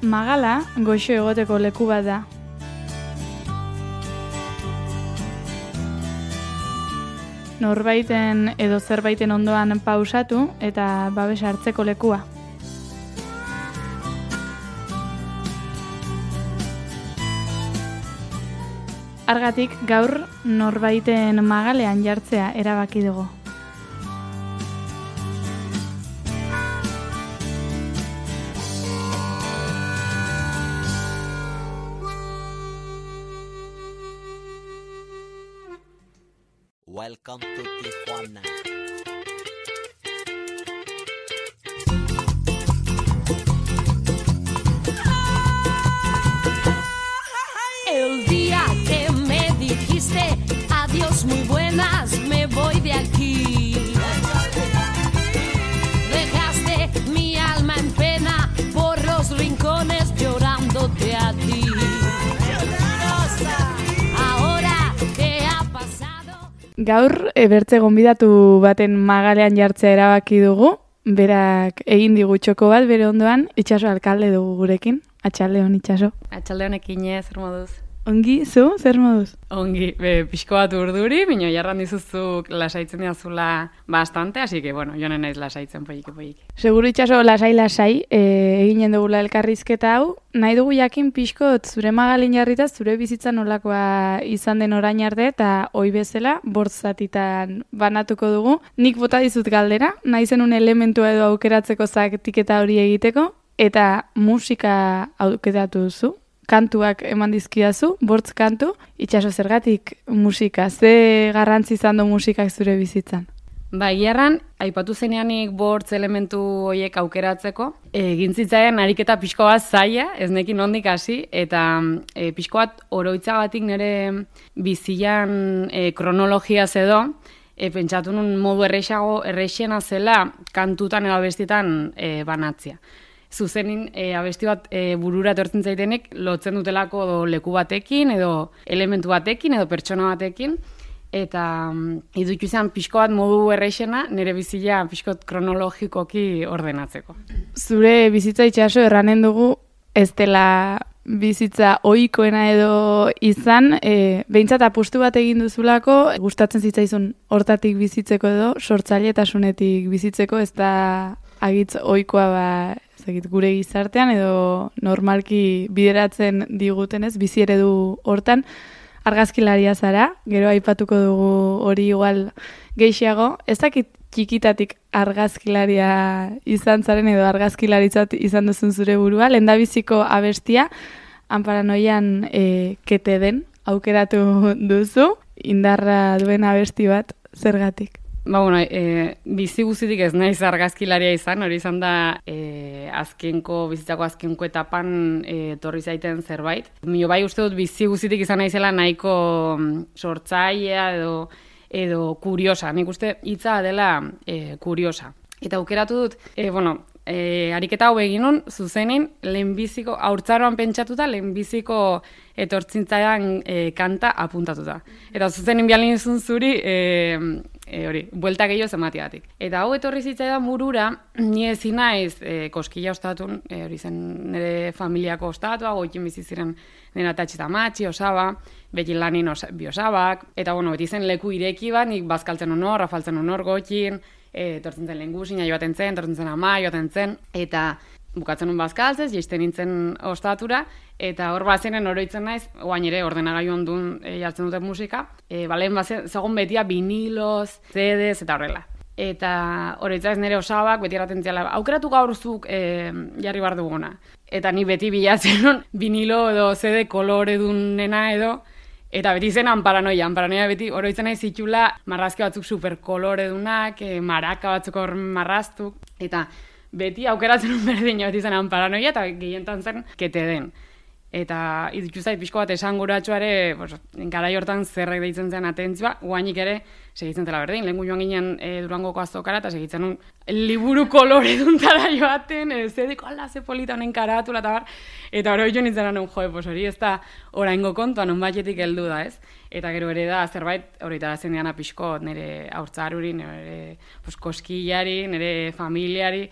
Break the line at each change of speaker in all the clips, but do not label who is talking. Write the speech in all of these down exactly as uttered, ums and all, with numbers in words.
Magala goxo egoteko leku bat da. Norbaiten edo zerbaiten ondoan pausatu eta babes hartzeko lekua. Argatik gaur norbaiten magalean jartzea erabaki dugu.
Welcome to Tijuana.
El día que me dijiste adiós muy buenas, me voy de aquí. Dejaste mi alma en pena por los rincones llorándote a ti.
Gaur, ebertze gonbidatu baten magalean jartzea erabaki dugu, berak egin digu txoko bat bere ondoan, Itxaso alkalde dugu gurekin. Atxaldeon, Itxaso.
Atxaldeon ekinez, zer moduz?
Ongi, zu, zer moduz?
Ongi, be, pixko bat urduri, bino jarran dizuzuk lasaitzen diazula bastante, así que, bueno, jonen naiz lasaitzen poike poike.
Seguro Itxaso lasai-lasai, e, eginen dugula elkarrizketa hau, nahi dugu jakin pixkot zure magalin jarrita, zure bizitza nolakoa izan den orain arte, eta hoi bezala, bortzatitan banatuko dugu. Nik bota dizut galdera, nahi zenun elementua edo aukeratzeko zaketiketa hori egiteko, eta musika aukeratu duzu. Kantuak eman dizkidazu, bortz kantu, Itxaso zergatik musika, ze garrantzi izan du musikak zure bizitzan?
Ba, gerran, aipatu zeneanik bortz elementu horiek aukeratzeko, egin zitzaien ariketa pixko bat zaila, ez nekin ondik hasi, eta e, pixko bat oroitzagatik nire bizian e, kronologia zedo, e, pentsatu nun modu errexago, errexena zela kantutan edo abestietan e, banatzea. Zuzenin e, abesti bat e, burura etortzen zaitenek lotzen dutelako edo leku batekin edo elementu batekin edo pertsona batekin eta um, idutu izan pixko bat modu errexena nire bizia pixkot kronologikoki ordenatzeko.
Zure bizitza Itxaso erranen dugu ez dela bizitza ohikoena edo izan, e, behintzat apustu bat egin duzulako, gustatzen zitzaizun hortatik bizitzeko edo sortzailetasunetik bizitzeko, ez da agitz ohikoa ba gure gizartean edo normalki bideratzen digutenez, bizi eredu hortan argazkilaria zara, gero aipatuko dugu hori igual gehiago, ez dakit txikitatik argazkilaria izan zaren edo argazkilaritzat izan duzun zure burua, lehendabiziko abestia, Anparanoian e, kete den aukeratu duzu, indarra duen abesti bat, zergatik?
Ba, bueno, e, bizi guzitik ez naiz argazkilaria izan, hori izan da e, azkenko, bizitzako azkenko etapan e, torri zaiten zerbait. Mio bai uste dut bizi guzitik izan naizela nahiko sortzailea edo, edo kuriosa. Nik uste hitza dela e, kuriosa. Eta aukeratu dut, e, bueno, e, ariketa hau eginun, zuzenin, lehenbiziko, haurtzaroan pentsatuta, lehenbiziko etortzintzaidan e, kanta apuntatuta. Eta zuzenin bialin izun zuri, e, E, hori, buelta gehiago zematiatik. Eta hau etorri zitzaidan burura, ni ezin naiz e, koskila ostatun, e, hori zen nire familiako ostatua, goikin bizi ziren nire atatxe eta matxi, osaba, bekin lanin osa, bi osabak, eta bueno, beti zen leku ireki bat, nik bazkaltzen honor, afaltzen honor goikin, e, tortzen zen lehengusina joaten zen, tortzen zen ama joaten zen, eta bukatzen un bazkaltzez, jeisten nintzen ostatura, eta hor bazenen oroitzen naiz, oain ere ordenagailuan duen e, jartzen duten musika, e, balen bazen, zagon betia vinilos, C Ds, eta horrela. Eta oroitzen naiz nire osabak, beti erraten ziala, aukeratu gaurzuk e, jarri bar duguna. Eta ni beti bilatzen nun, vinilo edo C D kolore dunena edo, eta beti zen Anparanoia, Anparanoia beti oroitzen naiz zitula marrazki batzuk superkolore dunak, e, maraka batzuk hor marraztuk, eta beti aukeratzen un berdin beti zen Anparanoia eta gehientan zen kete den. Eta idutu zait pixko bat esanguratsuare, pues, garai hortan zerrek deitzen zen atentzioa, guainik ere segitzen zela berdin. Lehengu joan ginen e, Durangoko azokara eta segitzen un liburu kolore duntara joaten, e, zedeko ala ze polita honen karatula eta bar, eta hori jo nintzen anun, joe, pues hori ez da oraingo kontuan onbaitetik heldu da, ez? Eta gero ere da zerbait hori tarazen diana pixko nire haurtzaruri, nire pues, koskillari, nire familiari,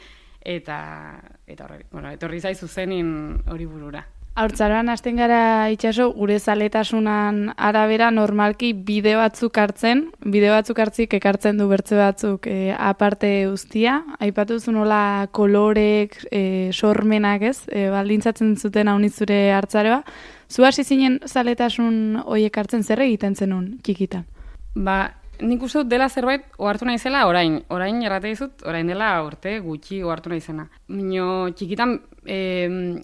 eta, eta horre, bueno, etorri zaizu zenin hori burura.
Haurtzaroan hasten gara itxaso, gure zaletasunan arabera normalki bideo batzuk hartzen, bideo batzuk hartzik ekartzen du bertze batzuk e, aparte guztia. Aipatu zu nola kolorek, e, sormenak ez, e, baldintzatzen zuten haunizure hartzaroa. Zu hasi zinen zaletasun horiek hartzen zer egiten zenun txikitan?
Ba, nik uste dut dela zerbait ohartu naizela orain. Orain errate dizut, orain dela urte gutxi ohartu naizena. Mino txikitan e,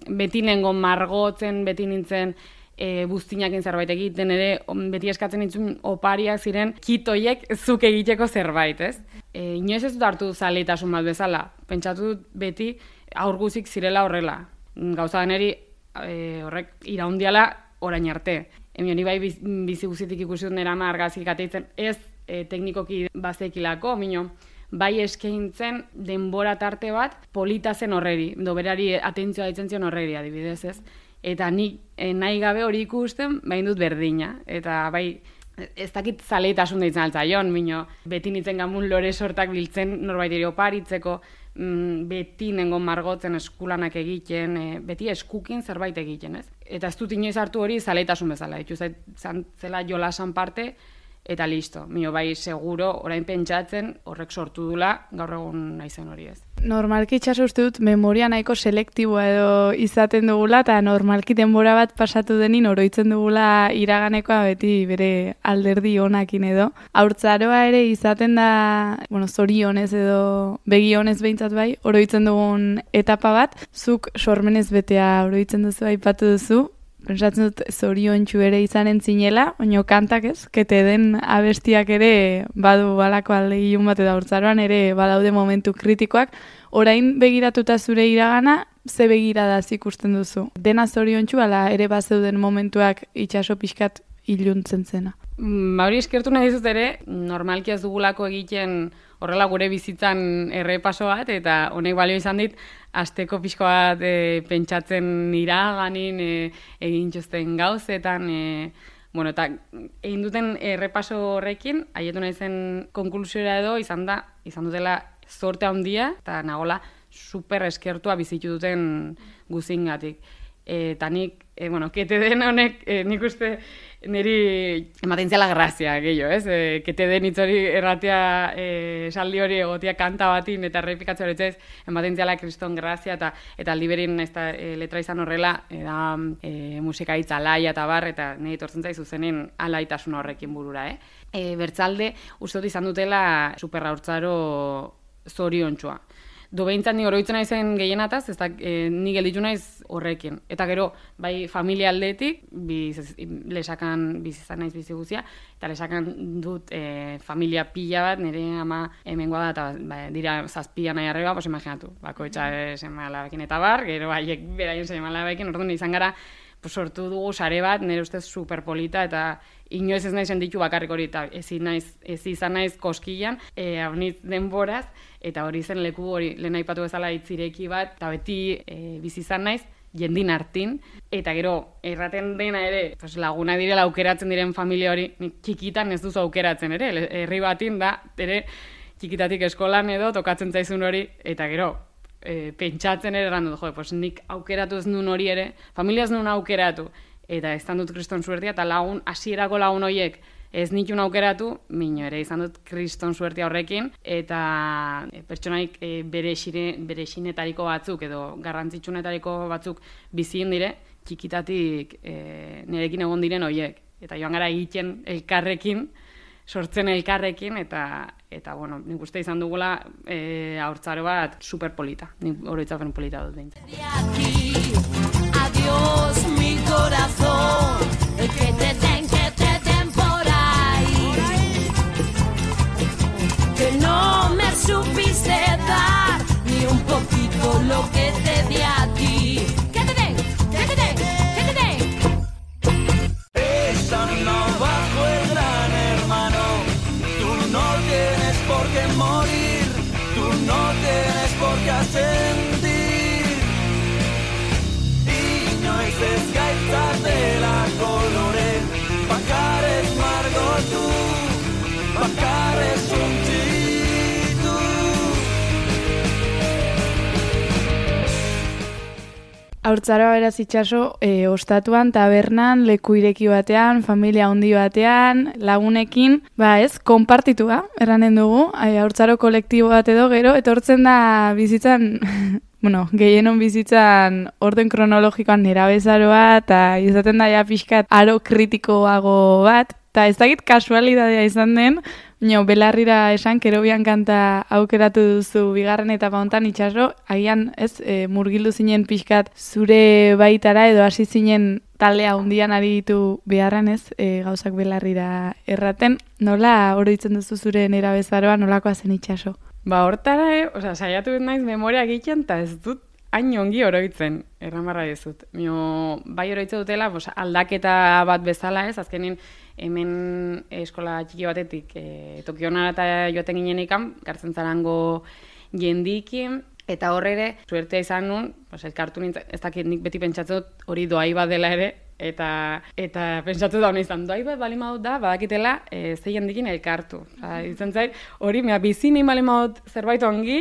beti nengo margotzen, beti nintzen e, buztinakin zerbait egiten ere, beti eskatzen nintzen opariak ziren kitoiek zuk egiteko zerbait, ez? E, inoiz ez dut hartu zaletasun bat bezala. Pentsatu dut beti aurguzik zirela horrela. Gauza deneri e, horrek iraundiala orain arte. Emion, ni bai bizi guzitik ikusi dut nera argazki kateitzen, ez e, teknikoki bazekilako, mino, bai eskaintzen denbora tarte bat polita zen horreri, do berari atentzioa ditzen zion horreri adibidez, ez? Eta nik e, nahi gabe hori ikusten, bain dut berdina, eta bai ez dakit zaletasun deitzen altzaion, mino, beti nintzen gamun lore sortak biltzen norbait ere oparitzeko, mm, beti nengon margotzen eskulanak egiten, e, beti eskukin zerbait egiten, ez? Eta ez dut inoiz hartu hori zaletasun bezala, itxu zela jolasan parte, eta listo. Mio bai seguro, orain pentsatzen, horrek sortu dula, gaur egun naizen hori ez.
Normalki itxaso uste dut memoria nahiko selektiboa edo izaten dugula, eta normalki denbora bat pasatu denin oroitzen dugula iraganekoa beti bere alderdi onakin edo. Haurtzaroa ere izaten da, bueno, zorionez edo begionez behintzat bai, oroitzen dugun etapa bat, zuk sormenez betea oroitzen duzu, aipatu duzu, pentsatzen dut zoriontsu ere izanen zinela, oino kantak ez, kete den abestiak ere badu balako alde ilun bat eta haurtzaroan ere badaude momentu kritikoak. Orain begiratuta zure iragana, ze begiradaz ikusten duzu? Dena zoriontsu ala ere bazeuden momentuak itxaso pixkat iluntzen zena?
Ba hori eskertu nahi dizut ere, normalki ez dugulako egiten horrela gure bizitzan errepaso bat, eta honek balio izan dit, asteko pixko bat e, pentsatzen iraganin, e, egin txosten gauzetan, e, bueno, eta egin duten errepaso horrekin, haietu nahi zen konklusiora edo, izan da, izan dutela zorte handia, eta nagola super eskertua bizitu duten guzingatik. Eta nik, e, bueno, kete den honek, e, nik uste niri ematen ziala grazia gehiago, ez? E, kete den hitz hori erratea e, saldi hori egotia kanta batin eta errepikatzea hori ez, ematen ziala kriston grazia eta eta liberin ez da e, letra izan horrela, e, da e, musika hitz alaia eta bar, eta niri tortzen zaizu zenen alaitasun horrekin burura, eh? E, bertzalde, uste dut izan dutela superra haurtzaro zoriontsua. Do behintzat ni oroitzen naizen gehienataz, ez da, e, ni gelditu naiz horrekin. Eta gero, bai familia aldetik, biz, lesakan bizizan naiz bizi guzia, eta lesakan dut e, familia pila bat, nire ama hemengoa da, eta ba, dira zazpia nahi arreba, pues imaginatu, bako etxa seme alabekin eta bar, gero haiek beraien seme alabekin, orduan izan gara, pues, sortu dugu sare bat, nire ustez superpolita, eta inoiz ez naizen ditu bakarrik hori, eta ez, naiz, ez izan naiz koskilan, e, haunitz denboraz, eta hori zen leku hori, lehen aipatu bezala itzireki bat, eta beti e, bizi izan naiz, jendin hartin, eta gero, erraten dena ere, pues, laguna direla aukeratzen diren familia hori, txikitan ez duzu aukeratzen ere, herri batin da, ere, txikitatik eskolan edo, tokatzen zaizun hori, eta gero, e, pentsatzen ere errandu, jo, pues, nik aukeratu ez nun hori ere, familia ez nun aukeratu, eta ez dut kriston suertia, eta lagun, hasierako lagun horiek ez nitun aukeratu, mino ere izan dut kriston suertia horrekin, eta e, pertsonaik e, bere, xire, bere xinetariko batzuk, edo garrantzitsunetariko batzuk bizien dire, txikitatik e, nirekin egon diren horiek. Eta joan gara egiten elkarrekin, sortzen elkarrekin, eta, eta bueno, nik uste izan dugula e, haurtzaro bat superpolita. Nik oroitzapen polita dut behin.
Adiós, mi corazón, que te den, que te den por ahí, que no me supiste dar ni un poquito lo que te di a ti. Que te den, que te den, que te den.
Estando bajo el gran hermano, tú no tienes por qué morir, tú no tienes por qué ascendir. Ez gaitzatela kolore, bakarez margotu, bakarez suntitu.
Haurtzaroa beraz itxaso, e, ostatuan, tabernan, leku ireki batean, familia handi batean, lagunekin, ba ez, konpartitua, eranen dugu, e, haurtzaro kolektibo bat edo gero, etortzen da bizitzan, bueno, gehienon bizitzan orden kronologikoan nerabezaroa, eta izaten da ja pixkat aro kritikoago bat, eta ez dakit kasualidadea izan den, no, belarrira esan, Kerobian kanta aukeratu duzu bigarren etapa hontan itxaso, agian ez, e, murgildu zinen pixkat zure baitara edo hasi zinen taldea hundian ari ditu beharren ez, e, gauzak belarrira erraten. Nola oroitzen duzu zure nerabezaroa, nolakoa zen itxaso?
Ba, hortara, eh, osea, saiatu dut naiz memoria egiten, eta ez dut hain ongi oroitzen, erramarra dizut. Mio, bai oroitzen dutela, bos, aldaketa bat bezala ez, azkenin hemen eskola txiki batetik e, Tokionara eta joaten ginen ikan, gartzen zarango jendikin, eta hor ere, suertea izan nun, pues, elkartu nintzen, ez dakit nik beti pentsatzen dut hori doai bat dela ere, eta eta pentsatu da hona izan, doai bat bali maut da, badakitela, e, ze jendikin elkartu. Oza, izan zait, hori, mea, bizi nahi bali maut zerbait ongi,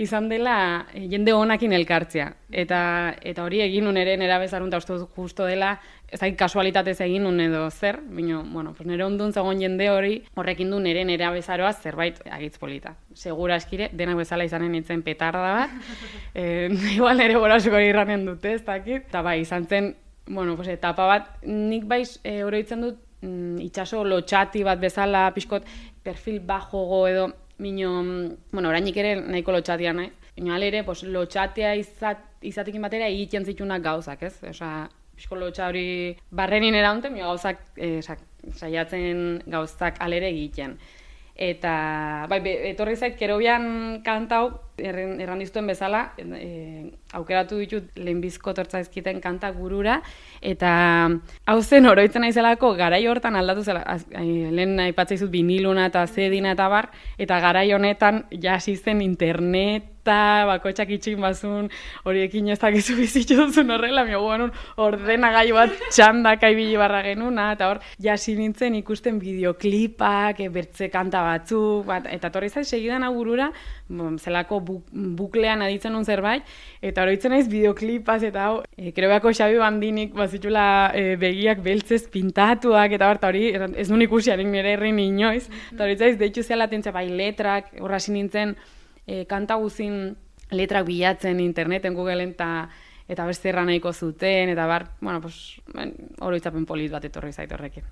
izan dela e, jende honakin elkartzea. Eta, eta hori egin nun ere nera bezarun, eta uste justo dela, ez dakit kasualitatez egin nun edo zer, bino, bueno, pues nire ondun zegoen jende hori, horrekin du nire nera bezaroa zerbait agitz polita. Segura eskire, denak bezala izanen nintzen petarda bat, e, igual nire borasuko irranen dute, ez dakit, eta bai, izan zen, bueno, pues, etapa bat, nik baiz e, oroitzen dut mm, itxaso lotxati bat bezala, pixkot perfil bajogo edo, mino, bueno, orainik ere nahiko lotxatia nahi, bino ere, pues, lotxatia izat, izatekin batera egiten zitunak gauzak, ez? Osa, pixko lotxa hori barrenin eraunte, mio gauzak, e, saiatzen gauzak alere egiten. Eta, bai, be, etorri zait, Kerobian kantau, erran, erran diztuen bezala, e, aukeratu ditut lehenbizko tortzaizkiten kanta gurura, eta hau zen oroitzen naizelako garai hortan aldatu zela, az, e, lehen aipatzea izut viniluna eta zedina eta bar, eta garai honetan jasi zen internet, eta bakotxak itxin bazun, horiekin ez dakizu bizitzu duzun horrela, mio guanun ordenagailu bat txandaka ibili barra genuna, eta hor jasi nintzen ikusten bideoklipak, e, bertze kanta batzuk, bat, eta torri zait segidan agurura, bon, zelako buk, buklean aditzen nun zerbait, eta oroitzen naiz bideoklipaz, eta hau, e, Kerobiako Xabi Bandinik bazitula e, begiak beltzez pintatuak, eta hor, hori ez nun ikusiarik nire herrin inoiz, eta hori zaiz, deitzu zela tentzea bai letrak, horra nintzen, E, kanta guzin letrak bilatzen interneten, Googleen, eta eta beste erra nahiko zuten, eta bar, bueno, pues, oroitzapen polit bat etorri zait horrekin.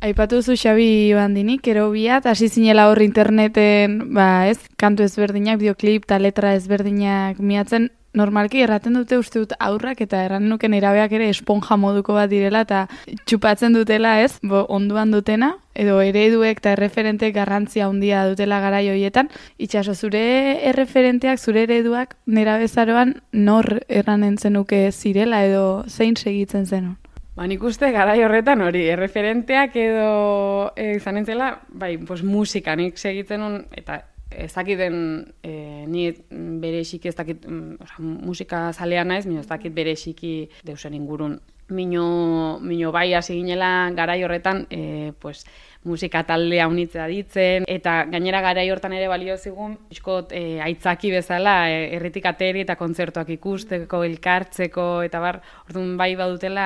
Aipatu duzu Xabi Bandinik, Kerobia, hasi zinela hor interneten, ba ez, kantu ezberdinak, bideoklip eta letra ezberdinak miatzen, normalki erraten dute uste dut aurrak eta erran nuke nerabeak ere esponja moduko bat direla eta txupatzen dutela ez, bo, onduan dutena, edo ereduek eta erreferenteek garrantzia handia dutela garai horietan. Itxaso, zure erreferenteak, zure ereduak nerabezaroan nor erranen zenuke zirela edo zein segitzen zenun?
Ba, nik uste garai horretan hori, erreferenteak edo e, izanen zela, bai, pues, musika nik segitzen un, eta ez dakiten e, ni bereziki ez dakit, oza, musika zalea naiz, mino ez dakit bereziki deusen ingurun. Mino, mino bai hasi ginela garai horretan, e, pues, musika taldea unitzea ditzen, eta gainera garai hortan ere balio zigun, iskot e, aitzaki bezala, e, erritik ateri eta kontzertuak ikusteko, elkartzeko, eta bar, orduan bai badutela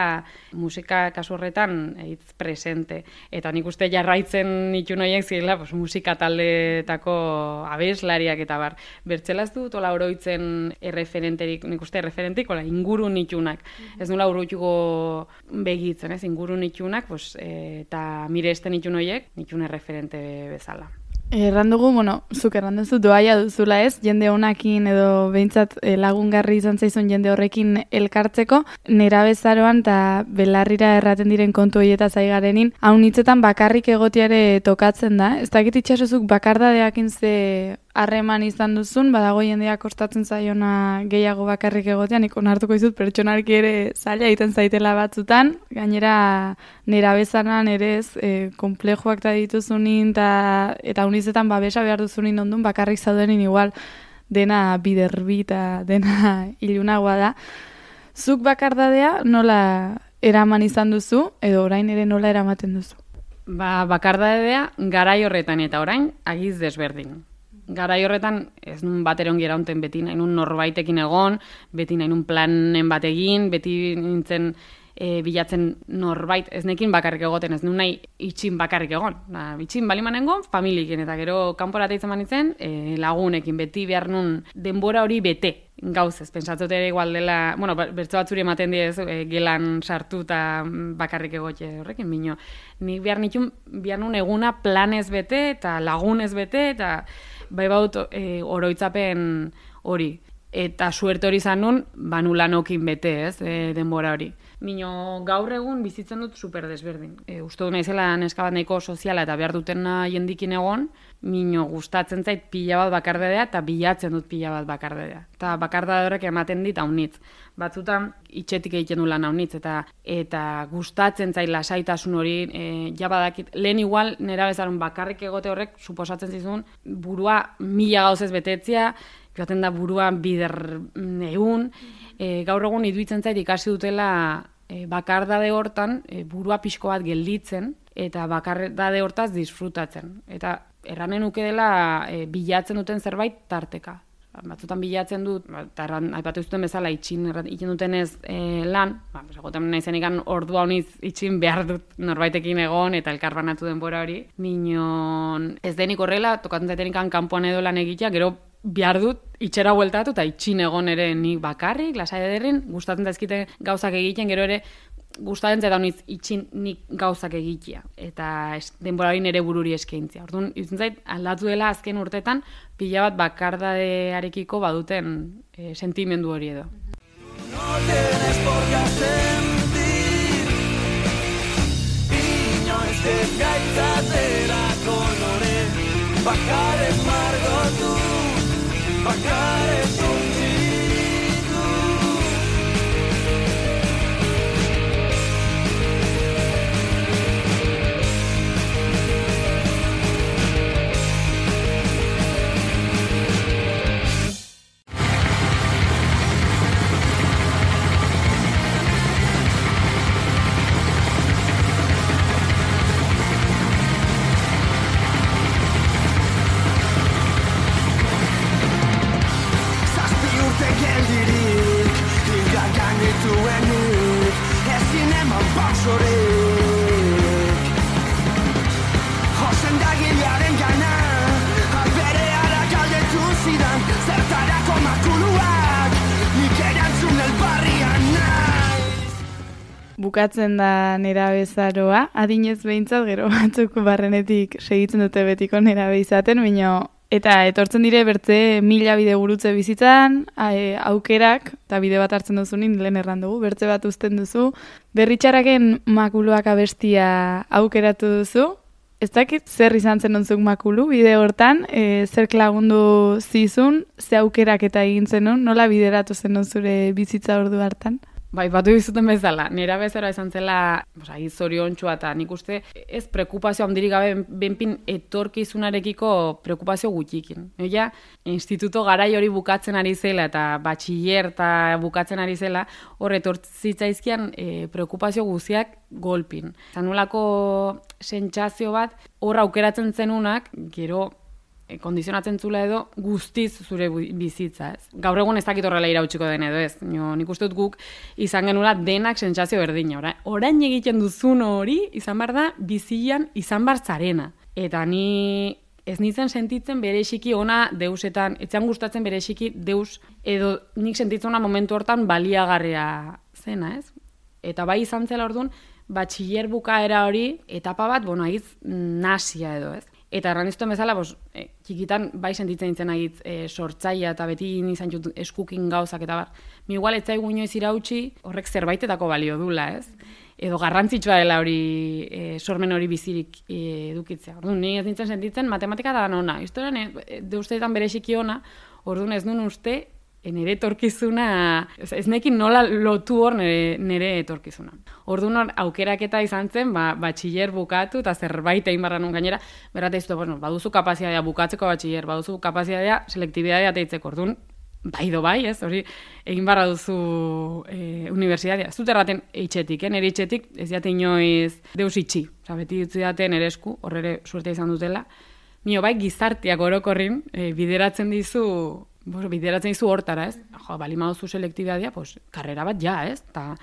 musika kasu horretan hitz presente. Eta nik uste jarraitzen nitun horiek zirela, pues, musika taldeetako abeslariak eta bar. Bertzelaz dut, ola oroitzen erreferenterik, nik uste erreferentik, ola inguru nitunak. Mm-hmm. Ez nula oroituko begitzen, ez, inguru nitunak, pues, e, eta miresten nitun horiek, nitun erreferente bezala.
Erran dugu, bueno, zuk erran duzu doaia duzula ez, jende honakin edo behintzat lagungarri izan zaizun jende horrekin elkartzeko, nerabezaroan eta belarrira erraten diren kontu horietaz aigarenin, haun hitzetan bakarrik egotiare tokatzen da, ez dakit itxasozuk bakardadeakin ze harreman izan duzun, badago jendeak kostatzen zaiona gehiago bakarrik egotean, nik onartuko izut pertsonarki ere zaila egiten zaitela batzutan, gainera nerabezaran ere ez, e, komplejoak da dituzunin, ta, eta unizetan babesa behar duzunin ondun, bakarrik zaudenin igual dena biderbi eta dena ilunagoa da. Zuk bakardadea nola eraman izan duzu, edo orain ere nola eramaten duzu?
Ba, bakardadea garai horretan eta orain agiz desberdin. garai horretan ez nun bat ere ongi eraunten, beti nahi nun norbaitekin egon, beti nahi nun planen bat egin, beti nintzen e, bilatzen norbait, ez nekin bakarrik egoten, ez nun nahi itxin bakarrik egon. Da, itxin balimanengo, familiekin, eta gero kanpora teitzen manitzen, e, lagunekin, beti behar nun denbora hori bete. Gauz ez, pentsatzot ere igual dela, bueno, bertso batzuri ematen diez, e, gelan sartu eta bakarrik egote horrekin, bino. Nik behar nitun, behar nun eguna planez bete eta lagunez bete, eta bai baut e, oroitzapen hori. Eta suerte hori izan nun, banulanokin bete, ez, e, denbora hori. Mino gaur egun bizitzen dut super desberdin. E, uste du naizela neska bat nahiko soziala eta behar dutena jendikin egon, mino gustatzen zait pila bat bakardadea eta bilatzen dut pila bat bakardadea. Eta bakardade horrek ematen dit haunitz. Batzutan itxetik egiten du lan haunitz eta eta gustatzen zait lasaitasun hori, e, ja badakit, lehen igual nera bezaren bakarrik egote horrek suposatzen zizun burua mila gauzez betetzea, joaten da buruan bider egun, e, gaur egun iduitzen zait ikasi dutela e, bakardade hortan e, burua pixko bat gelditzen eta bakardade hortaz disfrutatzen. Eta erranen nuke dela e, bilatzen duten zerbait tarteka. Batzutan bilatzen dut, eta aipatu zuten bezala itxin egiten dutenez e, lan, ba, egoten naizen ikan ordua honiz itxin behar dut norbaitekin egon eta elkar banatu denbora hori. Minon ez denik horrela, tokatzen zaiten ikan kanpoan edo lan egitea, gero behar dut itxera bueltatu eta itxin egon ere nik bakarrik, lasai ederren, gustatzen zaizkite gauzak egiten, gero ere gustatzen zaitan honiz itxin nik gauzak egitea. Eta denbora hori nere bururi eskaintzia. Orduan, irutzen zait, aldatu dela azken urtetan, pila bat bakardadearekiko baduten e, sentimendu hori edo.
No tienes por qué sentir inoiz ez gaitzatera kolore bakarez margotu bakarez unzitu.
Bukatzen da nerabezaroa, adinez behintzat, gero batzuk barrenetik segitzen dute betiko nerabe izaten, baina eta etortzen dire bertze mila bide gurutze bizitzan, aukerak, eta bide bat hartzen duzunin, lehen erran dugu, bertze bat uzten duzu, berritxaraken makuluak abestia aukeratu duzu, ez dakit zer izan zen onzuk makulu, bide hortan, e, zer lagundu zizun, ze aukerak eta egin zenun, nola bideratu zen zure bizitza ordu hartan?
Bai, batu bizuten bezala, nera bezara izan zela, zoriontxua eta nik uste ez preokupazio handirik gabe benpin etorkizunarekiko preokupazio gutxikin. Ella, instituto garai hori bukatzen ari zela eta batxiller eta bukatzen ari zela, hor etortzitzaizkian e, preokupazio guztiak golpin. Zanulako sentsazio bat, hor aukeratzen zenunak, gero E, kondizionatzen zula edo guztiz zure bizitza, ez. Gaur egun ez dakit horrela irautsiko den edo, ez. Jo, nik uste dut guk izan genula denak sentsazio berdina. Ora, orain egiten duzun hori izan bar da bizian izan bar zarena. Eta ni ez nintzen sentitzen bereziki ona deusetan, etxean gustatzen bereziki deus edo nik sentitzen momentu hortan baliagarria zena, ez. Eta bai izan zela orduan, batxiller bukaera hori, etapa bat, bueno, agiz nasia edo, ez. Eta erraniztuen bezala, bos, e, txikitan bai sentitzen nintzen agitz e, sortzaia eta beti nizan jut eskukin gauzak eta bar. Mi igual etzaigu inoiz irautsi horrek zerbaitetako balio dula, ez? Edo garrantzitsua dela hori, e, sormen hori bizirik e, edukitzea. Orduan, ni ez nintzen sentitzen matematika da nona. Historian, e, de usteetan bereziki ona, orduan ez duen uste, nire etorkizuna, ez nekin nola lotu hor nire, nire etorkizuna. Orduan hor, aukeraketa izan zen, ba, batxiller bukatu, eta zerbait egin barra nun gainera, berrate iztu, bueno, baduzu kapazitatea bukatzeko batxiller, baduzu kapazitatea selektibitatea teitzeko, orduan, bai do bai, ez, hori, egin barra duzu e, unibertsitatea. Ez dut erraten eitxetik, eh? Nire eitxetik ez diate inoiz deus itxi, oza, beti dutzi date nire esku, horre suerte izan dutela, Mio bai gizartiak orokorrin e, bideratzen dizu, bo, bideratzen dizu hortara, ez? Jo, bali maduzu selektibitatea, pues, karrera bat ja, ez? Ta,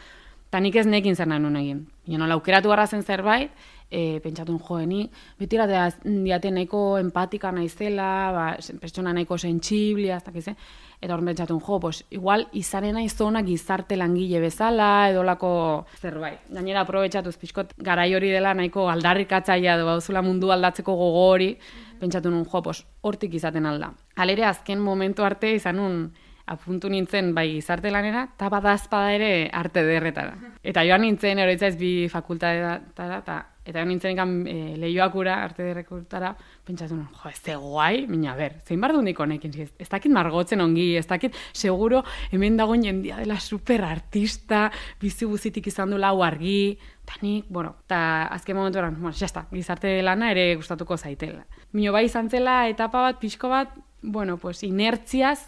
ta nik ez nekin zer nahi nun egin. Baina nola aukeratu garra zen zerbait, e, pentsatun joeni, beti diate nahiko empatika naizela, ba, pertsona nahiko sentsiblia, ez dakize, eta hor pentsatun jo, pues, igual izaren aizona gizarte langile bezala, edolako zerbait. Gainera aprobetxatuz pixkot garai hori dela nahiko aldarrikatzailea edo bauzula mundu aldatzeko gogo hori, pentsatu nun jo, pues, hortik izaten alda. Halere azken momentu arte izan nun apuntu nintzen bai gizarte lanera, eta badazpada ere arte derretara. Eta joan nintzen, oroitzaiz bi fakultatetara, eta eta joan nintzen ikan e, lehioakura, arte derretara, pentsatu nun, jo, ez ze guai, mina, ber, zein bar du nik honekin, ez, ez dakit margotzen ongi, ez dakit, seguro, hemen dagoen jendia dela super artista, bizi guzitik izan du lau argi, eta nik, bueno, eta azken momentu eran, bueno, jazta, gizarte lana ere gustatuko zaitela. Mino bai izan zela etapa bat, pixko bat, bueno, pues, inertziaz,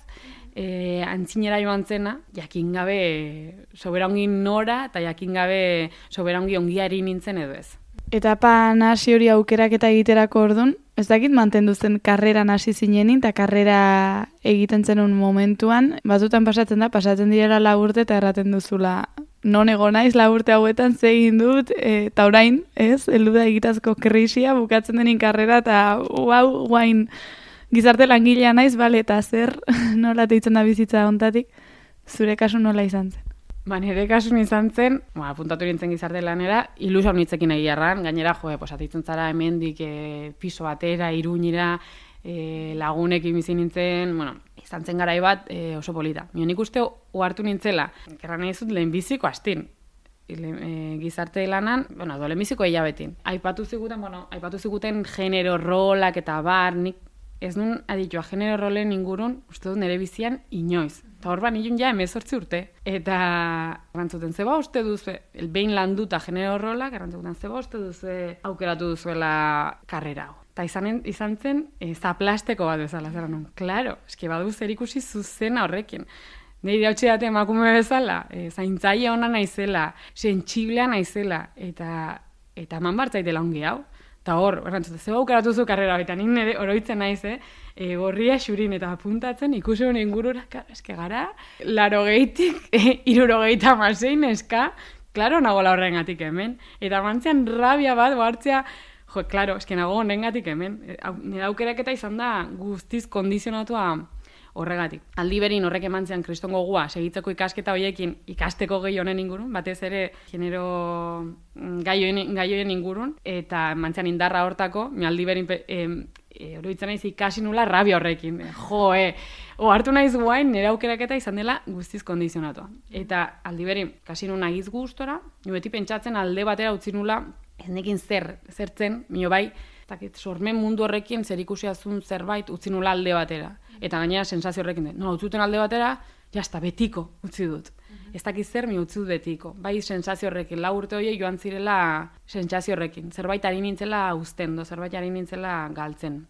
E, antzinera joan zena, jakin gabe sobera ongi nora, eta jakin gabe sobera ongi ongiari nintzen edo ez.
Etapa hasi hori aukeraketa egiterako ordun, ez dakit mantendu zen karreran hasi zinenin, eta karrera egiten zenun momentuan, batzutan pasatzen da, pasatzen direla lau urte, eta erraten duzula, non ego naiz lau urte hauetan ze egin dut, eta orain, ez, heldu da egitazko krisia, bukatzen denin karrera, eta uau, guain, gizarte langilea naiz, bale, eta zer nola teitzen da bizitza hontatik, zure kasu nola izan zen?
Ba, nire kasun izan zen, ba, apuntatu nintzen gizarte lanera, ilusio nitzekin egiarran, gainera, jo, pues, atitzen zara hemendik e, piso batera, Iruñira, e, lagunekin bizi nintzen, bueno, izan zen garai bat e, oso polita. Mio nik uste ohartu nintzela, gerran nahi zut lehenbiziko astin. E, gizarte lanan, bueno, do lehenbiziko hilabetin. Aipatu ziguten, bueno, aipatu ziguten genero rolak eta bar, nik ez nun aditua genero rolen ingurun, uste dut nire bizian inoiz. Eta hor ban ilun ja emezortzi urte. Eta garrantzuten zeba uste duzu, behin landuta genero rolak, garrantzuten zeba uste duzu aukeratu duzuela karrera hau. Eta izan, izan zen, e, zaplasteko bat bezala, zera nun. Klaro, eski badu zer ikusi zuzena horrekin. Nire hautsi date emakume bezala, e, zaintzaile ona naizela, sentsiblea naizela, eta, eta eman bartzaitela ongi hau. Eta hor, errantzute, zeba aukeratu zu karrera, eta nik nire oroitzen naiz, eh? E, gorria xurin eta apuntatzen, ikusi honen ingurura, eske gara, laro gehitik, e, iruro gehieta masein, eska, klaro, nago la horrengatik hemen. Eta mantzean rabia bat, hartzea, jo, klaro, eske nago honengatik hemen. E, nire aukeraketa izan da guztiz kondizionatua horregatik. Aldi berin horrek emantzean kriston gogua segitzeko ikasketa horiekin ikasteko gehi honen ingurun, batez ere genero gaioen, gaioen ingurun, eta emantzean indarra hortako, mi aldi berin e, e, oroitzen naiz ikasi nula rabia horrekin. E, jo, e, o hartu naiz guain nire aukeraketa izan dela guztiz kondizionatua. Eta aldi berin, kasi nun agiz gustora, nio beti pentsatzen alde batera utzi nula, ez nekin zer, zertzen, mio bai, Zakit, sormen mundu horrekin zer ikusiazun zerbait utzi nula alde batera. Eta gainera sensazio horrekin, no, utzuten alde batera, jazta, betiko utzi dut. Ez dakit zer, mi utzi dut betiko. Bai sensazio horrekin, lau urte horiek joan zirela sensazio horrekin. Zerbait ari nintzela uzten, do, zerbait ari nintzela galtzen.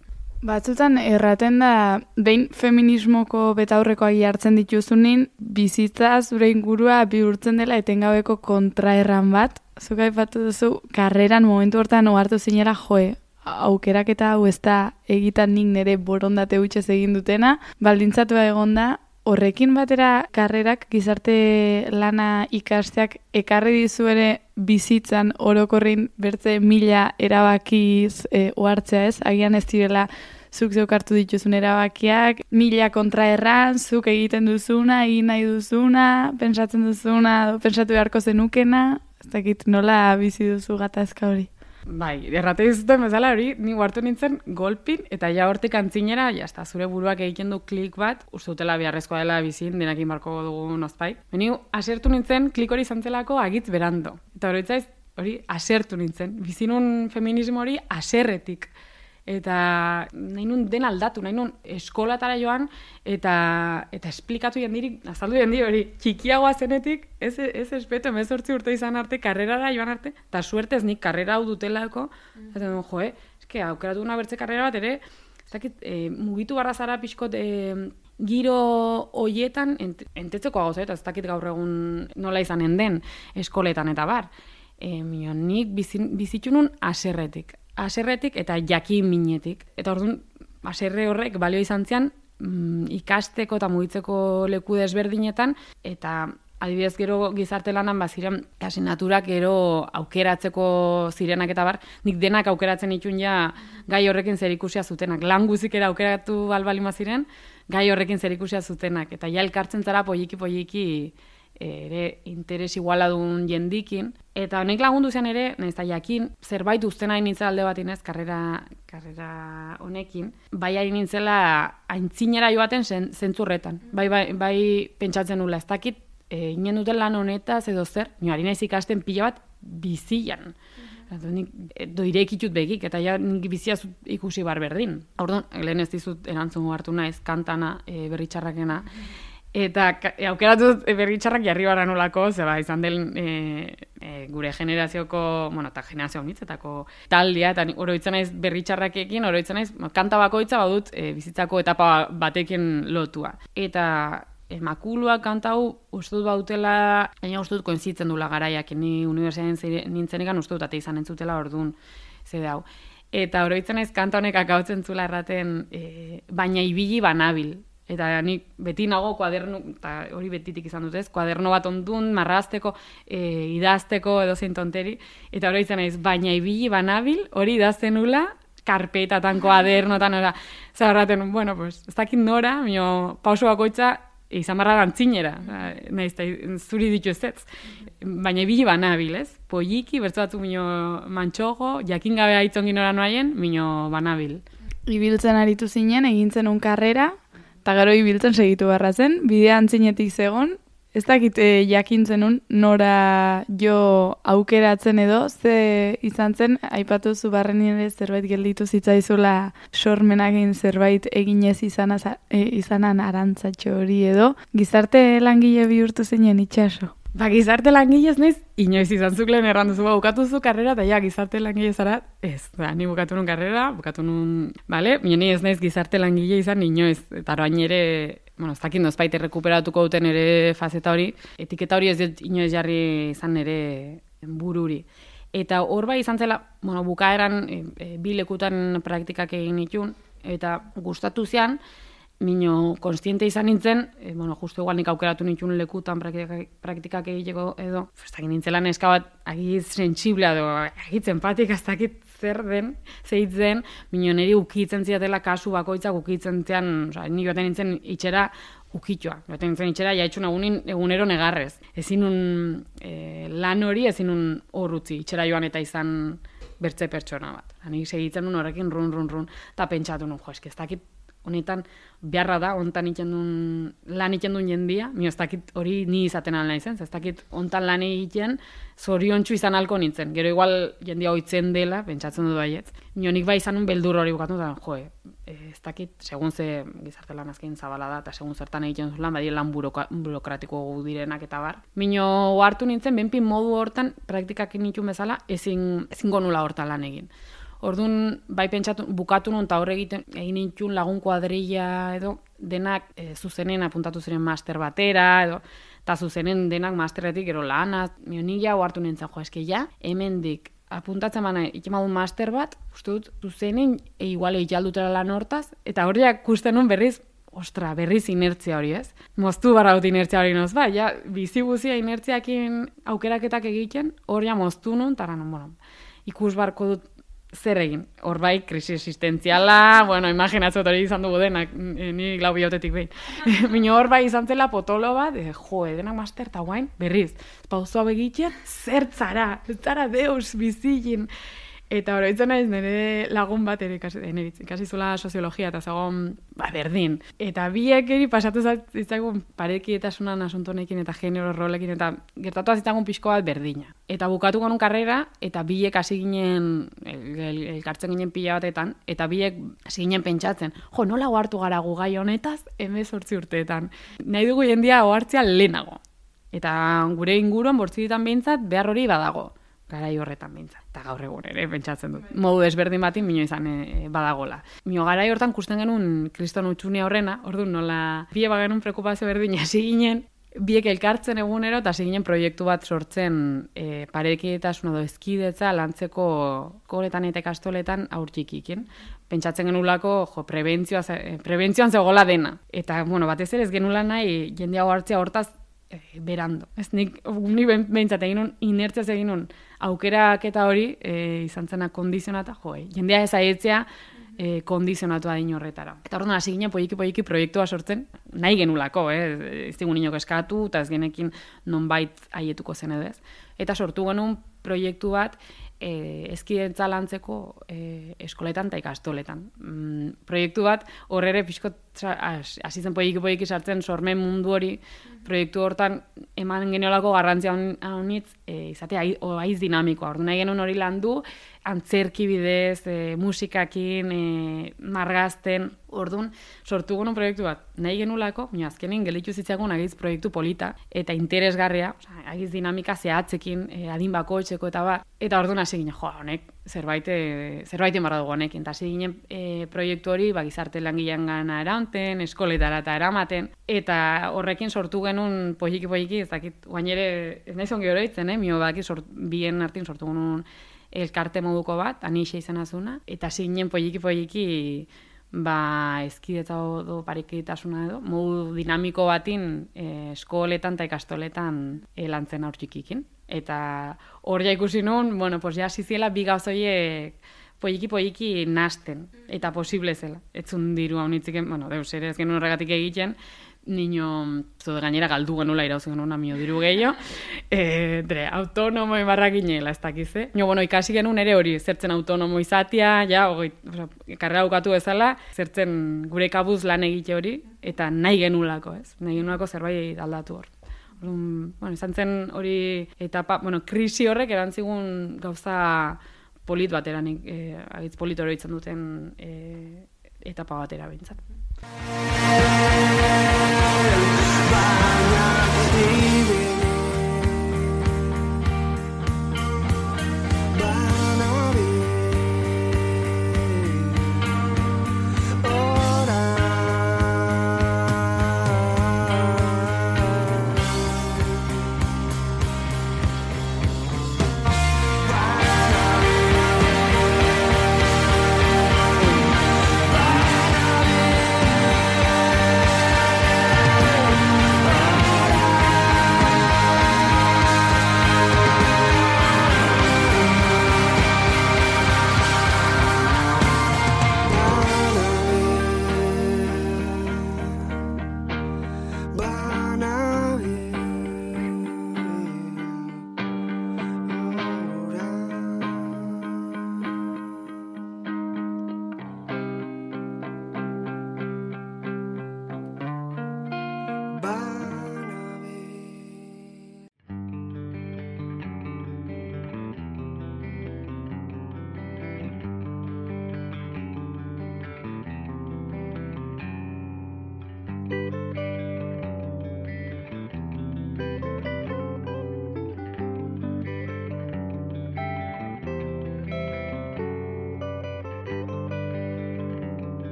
Batzutan erraten da, behin feminismoko betaurrekoak hartzen dituzunin, bizitza zure ingurua bihurtzen dela etengabeko kontraerran bat. Zuk aipatu duzu, karreran momentu hortan ohartu zinela joe, aukeraketa hau ez da egitan nik nire borondate hutxez egin dutena, baldintzatua egonda, horrekin batera karrerak gizarte lana ikasteak ekarri dizu ere bizitzan orokorrin bertze mila erabakiz e, ohartzea ez, agian ez direla zuk zeuk hartu dituzun erabakiak, mila kontraerran, zuk egiten duzuna, egin nahi duzuna, pentsatzen duzuna, do, pentsatu beharko zenukena, ez dakit nola bizi duzu gatazka hori.
Bai, errate dizuten bezala hori, ni hartu nintzen golpin, eta ja hortik antzinera, jazta, zure buruak egiten du klik bat, uste dutela beharrezkoa dela bizin, denakin barko dugu nozpait. Beni, asertu nintzen, klik hori zantzelako agitz berando. Eta hori itzaiz, hori asertu nintzen. Bizinun feminismo hori aserretik. Eta nahi nun den aldatu, nahi nun eskolatara joan, eta eta esplikatu jendirik, azaldu jendi hori, txikiagoa zenetik, ez, ez espeto, emezortzi urte izan arte, karrerara joan arte, eta suertez nik karrera hau dutelako, mm. eta duen, jo, eh, eske, aukeratu una bertze karrera bat ere, ez dakit, e, mugitu barra zara pixkot, e, giro hoietan, ent, entetzeko hau eta ez dakit gaur egun nola izanen den eskoletan eta bar. E, mio, nik bizitxunun aserretik. haserretik eta jakin minetik. Eta orduan, haserre horrek balio izan zian, mm, ikasteko eta mugitzeko leku desberdinetan, eta adibidez gero gizarte lanan baziren asinaturak gero aukeratzeko zirenak eta bar, nik denak aukeratzen itun ja gai horrekin zerikusia zutenak. Lan guzikera aukeratu balbalima ziren, gai horrekin zerikusia zutenak. Eta ja elkartzen zara polliki-polliki ere interes igualadun jendikin. Eta honek lagundu zen ere, nahiz da jakin, zerbait uzten hain nintzela alde bat inez, karrera, karrera honekin, bai hain nintzela aintzinera joaten zen, zentzurretan. Bai, bai, bai pentsatzen nula, ez dakit, e, inen duten lan honetaz edo zer, nio ari naiz ikasten pila bat bizian. Mm-hmm. Doirekitut begik, eta ja nik bizia ikusi bar berdin. Orduan, lehen ez dizut erantzun hartu naiz, kantana, e, berritxarrakena, eta e, aukeratut berritxarrak jarri bara nolako, zeba, izan den e, e, gure generazioko, bueno, eta generazio mitzetako taldea, eta oroitzen naiz berritxarrakekin, oroitzen naiz, kanta bakoitza badut e, bizitzako etapa batekin lotua. Eta Makuluak kanta hau uste dut bautela, baina uste dut koinzitzen dula garaiak, ni unibertsitatean nintzenekan uste dut ate izan entzutela orduan zede hau. Eta oroitzen naiz kanta honek akautzen zula erraten, e, baina ibili banabil. Eta nik beti nago kuaderno, eta hori betitik izan dut ez, kuaderno bat ondun, marrazteko, e, idazteko edo zein tonteri, eta oroitzen naiz, baina ibili banabil, hori idazten nula, karpetatan, kuadernotan, ora, zaharraten, bueno, pues, ez dakit nora, mio pauso bakoitza, izan barra gantzinera, nahiz, zuri ditu ez ez. Baina ibili banabil, ez? Polliki, bertzu batzu mino mantxogo, jakin gabe aitzongin ora noaien, mino banabil.
Ibiltzen aritu zinen, egintzen un karrera, eta gero ibiltzen segitu barra zen, bidea antzinetik zegon, ez dakit e, jakintzen un, nora jo aukeratzen edo, ze izan zen, aipatu zu barren ere zerbait gelditu zitzaizula sormenagin zerbait eginez izana, e, izanan arantzatxo hori edo, gizarte langile bihurtu zinen itxaso.
Ba, gizarte langile ez naiz, inoiz izan zuk lehen errandu zu, ba, bukatu zu karrera, eta ja, gizarte langile zara, ez, da, ni bukatu nun karrera, bukatu nun, bale, ni ez naiz gizarte langile izan, inoiz, eta orain ere, bueno, ez dakit nozbait errekuperatuko duten ere fazeta hori, etiketa hori ez dut inoiz jarri izan ere bururi. Eta hor bai izan zela, bueno, bukaeran e, e, bi lekutan praktikak egin itun, eta gustatu zian, mino konstiente izan nintzen, e, bueno, justu igual nik aukeratu nituen lekutan praktikak, praktikak egiteko edo, ez dakit nintzela neska bat agiz sentsiblea edo agiz empatik ez dakit zer den, zeitzen, mino niri ukitzen ziatela kasu bakoitzak ukitzen zian, oza, ni joaten nintzen itxera ukitxoa. Joaten nintzen itxera jaitxun egunin, egunero negarrez. Ezin un e, lan hori, ezin un hor utzi, itxera joan eta izan bertze pertsona bat. Nik segitzen nun horrekin run, run, run, eta pentsatu nun, jo, eski ez dakit honetan beharra da, hontan itxendun, lan itxendun jendia, mio ez dakit hori ni izaten alna izen, ez dakit hontan lan egiten zoriontsu izan alko nintzen. Gero igual jendia hoitzen dela, pentsatzen dut baietz. Mio nik bai izan un beldur hori bukatu, da, jo, ez dakit, segun ze gizarte lan azkein zabala da, eta segun zertan egiten zulan, badire lan buroka, burokratiko direnak eta bar. Mino hartu nintzen, benpin modu hortan, praktikak nituen bezala, ezin, ezin gonula hortan lan egin. Orduan, bai pentsatu, bukatu nun, eta horre egiten, egin nintxun lagun kuadrilla edo, denak e, zuzenen apuntatu ziren master batera, edo, eta zuzenen denak masterretik, gero lana, nik jau hartu nintzen, jo, eske ja, hemendik apuntatzen bana, ikemadun master bat, uste dut, zuzenen, e, igual egitaldutera lan hortaz, eta horiak kusten nun berriz, ostra, berriz inertzia hori, ez? Moztu barra dut inertzia hori noz, ba, ja, bizi guzia inertziakin aukeraketak egiten, hori ja moztu nun, eta non, bueno, ikus barko dut, zer egin, hor bai, krisi existentziala, bueno, imaginatzot hori izan dugu denak, ni lau bihotetik behin. Mino hor bai izan zela potolo bat, e, jo, denak master eta guain, berriz, pauzoa begitzen, zer zara, zara deus bizigin. Eta oroitzen naiz nire lagun bat ere ikasi, ikasi zula soziologia eta zagon ba, berdin. Eta biek eri pasatu zitzagun parekietasunan asuntonekin eta genero rolekin eta gertatu zitzagun pixko bat berdina. Eta bukatu gonun karrera eta biek hasi ginen, elkartzen el, el ginen pila batetan, eta biek hasi ginen pentsatzen, jo, nola ohartu gara gu gai honetaz hemezortzi urteetan. Nahi dugu jendia ohartzea lehenago. Eta gure inguruan bortzitan behintzat behar hori badago. Garai horretan behintzat, eta gaur egun ere pentsatzen dut. Modu desberdin batin mino izan e, badagola. Mino garai hortan kusten genuen kriston utxunia horrena, orduan nola pile bagenun preokupazio berdin hasi ginen, biek elkartzen egunero, eta hasi ginen proiektu bat sortzen e, parekidetasuna edo ezkidetza lantzeko koletan eta ikastoletan haur txikikin. Pentsatzen genulako, jo, prebentzioa, prebentzioan zegoela dena. Eta, bueno, batez ere ez genula nahi jende hau hartzea hortaz e, berando. Ez nik, ni behintzat egin nun, inertziaz egin nun, aukerak eta hori e, izan zena kondizionata, jo, e, jendea ez aietzea, E, kondizionatu adin horretara. Eta orduan hasi ginen poiki-poiki proiektua sortzen, nahi genulako, eh? Ez digun inok eskatu, eta ez genekin nonbait haietuko zen edo ez. Eta sortu genuen proiektu bat e, ezkidetza lantzeko e, eskoletan eta ikastoletan. Mm, proiektu bat horre pixkot hasi zen poiki-poiki sartzen sormen mundu hori, proiektu hortan eman geniolako garrantzia honitz e, izatea aiz dinamikoa. Orduan nahi genuen hori landu, antzerki bidez, e, musikakin, e, margazten, orduan sortu genuen proiektu bat. Nahi genulako, baina azkenin gelditu zitzagun agiz proiektu polita eta interesgarria, oza, agiz dinamika zehatzekin, e, adin bakoitzeko eta bat. Eta orduan hasi ginen, jo, honek zerbait zerbait marra dugu honekin. Eta hasi ginen e, proiektu hori ba, gizarte langilean gana eraunten, eskoletara eta eramaten. Eta horrekin sortu genuen poiki-poiki, ez dakit, guain ere, ez nahi zongi oroitzen, eh? Mio baki sort, bien artin sortu genuen elkarte moduko bat, anixe izan azuna, eta zinen poiki-poiki ba, ezkidetza edo parekidetasuna edo, modu dinamiko batin e, eskoletan eta ikastoletan e, lantzen aur txikikin. Eta hor ja ikusi nun, bueno, pues ja ziziela bi gauzoiek poiki-poiki nasten, eta posible zela. Etzun diru hau nitziken, bueno, deus ere ez genuen horregatik egiten, niño, zude gainera galdu genula irauzi genuen amio diru gehiago, e, dre, autonomo ibarra ginela, ez dakize. Nio, bueno, ikasi genuen ere hori, zertzen autonomo izatia, ja, ogoi, karrera bukatu bezala, zertzen gure kabuz lan egite hori, eta nahi genulako, ez? Nahi genulako zerbait aldatu hor. Orduan, bueno, izan zen hori etapa, bueno, krisi horrek erantzigun gauza polit batera, eh, agitz polit hori izan duten eh, etapa batera behintzat.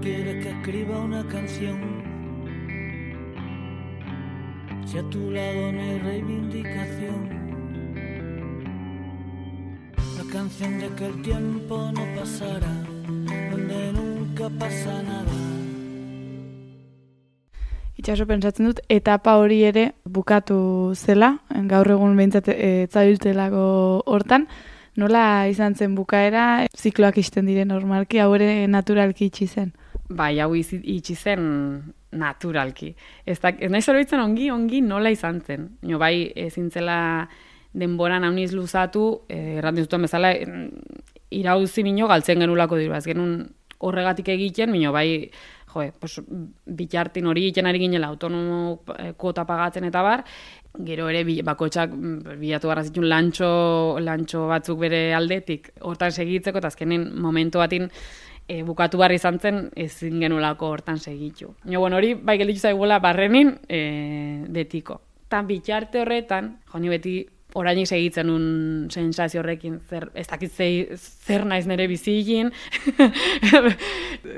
Quiere que escriba una canción, si a tu lado no hay reivindicación, la canción de que el tiempo no pasará, donde nunca pasa nada.
Itxaso pentsatzen dut, etapa hori ere bukatu zela, gaur egun behintzat ez zabiltelako hortan, nola izan zen bukaera, zikloak isten dire normalki, hau ere naturalki itxi zen?
Bai, hau itxi zen naturalki. Ez, da, ez nahi zoroitzen ongi, ongi nola izan zen. No, bai, ezin zela denboran hauniz luzatu, eh, errantzen zuten bezala, irauzi mino galtzen genulako diru. Ez genuen horregatik egiten, mino bai, joe, pues, bitartin hori egiten ari ginela, autonomo kuota pagatzen eta bar, gero ere bakoitzak bilatu garra zituen lantxo, lantxo batzuk bere aldetik hortan segitzeko, eta azkenen momentu batin e, bukatu barri izan zen ezin genulako hortan segitu. Jo, bueno, hori bai gelditu zaigula barrenin e, betiko. Tan bitarte horretan, jo, ni beti orainik segitzen un sensazio horrekin, zer, ez dakit zei, zer naiz nire bizigin.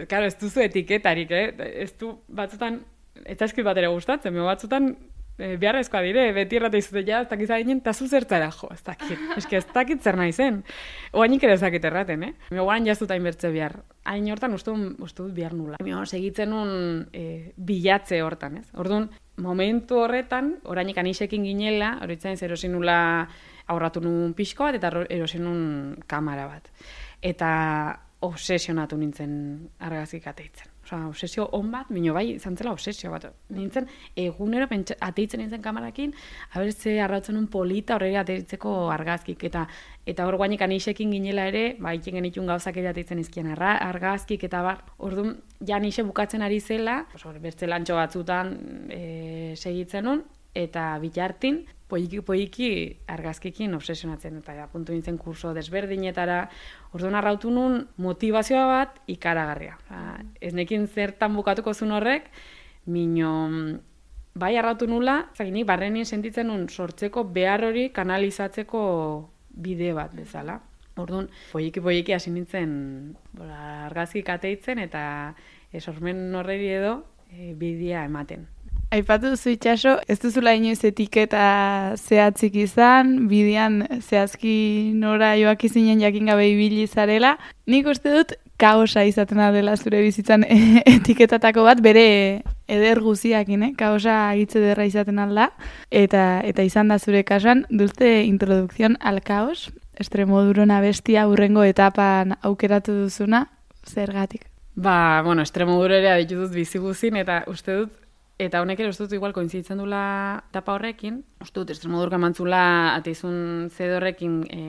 Claro, ez duzu etiketarik, eh? Ez du batzutan, ez zaizkit bat ere gustatzen, me batzutan e, beharrezkoa dire, beti errate izute, ja, ez dakit zainen, eta zu zertzara, jo, ez dakit, eski ez dakit zer naizen. Oainik ere ez dakit erraten, eh? Me guaran jaztuta inbertze behar. Hain hortan uste dut behar nula. Me segitzen un e, bilatze hortan, ez? Orduan, momentu horretan, orainik anisekin ginela, horitzen ez erosin nula aurratu nun pixko bat, eta erosin nun kamera bat. Eta obsesionatu nintzen argazkik ateitzen. Osa, obsesio on bat, mino bai, izan zela obsesio bat. Nintzen, egunero pentsa, ateitzen nintzen kamerakin, habertze arrautzen un polita horregi ateitzeko argazkik. Eta eta hor guainik anisekin ginela ere, ba, ikin genitun gauzak ere ateitzen izkien argazkik, eta bar, orduan, ja anise bukatzen ari zela, bertze lantxo batzutan e, segitzen nun, eta bitartin, poiki-poiki argazkikin obsesionatzen, eta ja, puntu nintzen kurso desberdinetara, orduan arrautu nun motivazioa bat ikaragarria. Ez nekin zertan bukatuko zuen horrek, mino bai arrautu nula, zaginik barrenin sentitzen nun sortzeko behar hori kanalizatzeko bide bat bezala. Orduan, poiki-poiki hasi nintzen argazkik ateitzen, eta esormen horreri edo e, bidea ematen.
Aipatu duzu Itxaso, ez duzula inoiz etiketa zehatzik izan, bidean zehazki nora joak izinen jakin gabe ibili zarela. Nik uste dut kaosa izaten dela zure bizitzan etiketatako bat, bere eder guziakin, eh? Kaosa agitze derra izaten alda. Eta, eta izan da zure kasuan, dulce introdukzion al kaos, Extremodurona bestia hurrengo etapan aukeratu duzuna, zergatik?
Ba, bueno, Extremodurera ditu dut bizi guzin, eta uste dut, eta honek ere uste dut igual koinzitzen dula etapa horrekin, uste dut Extremodurka mantzula ateizun zedorrekin e,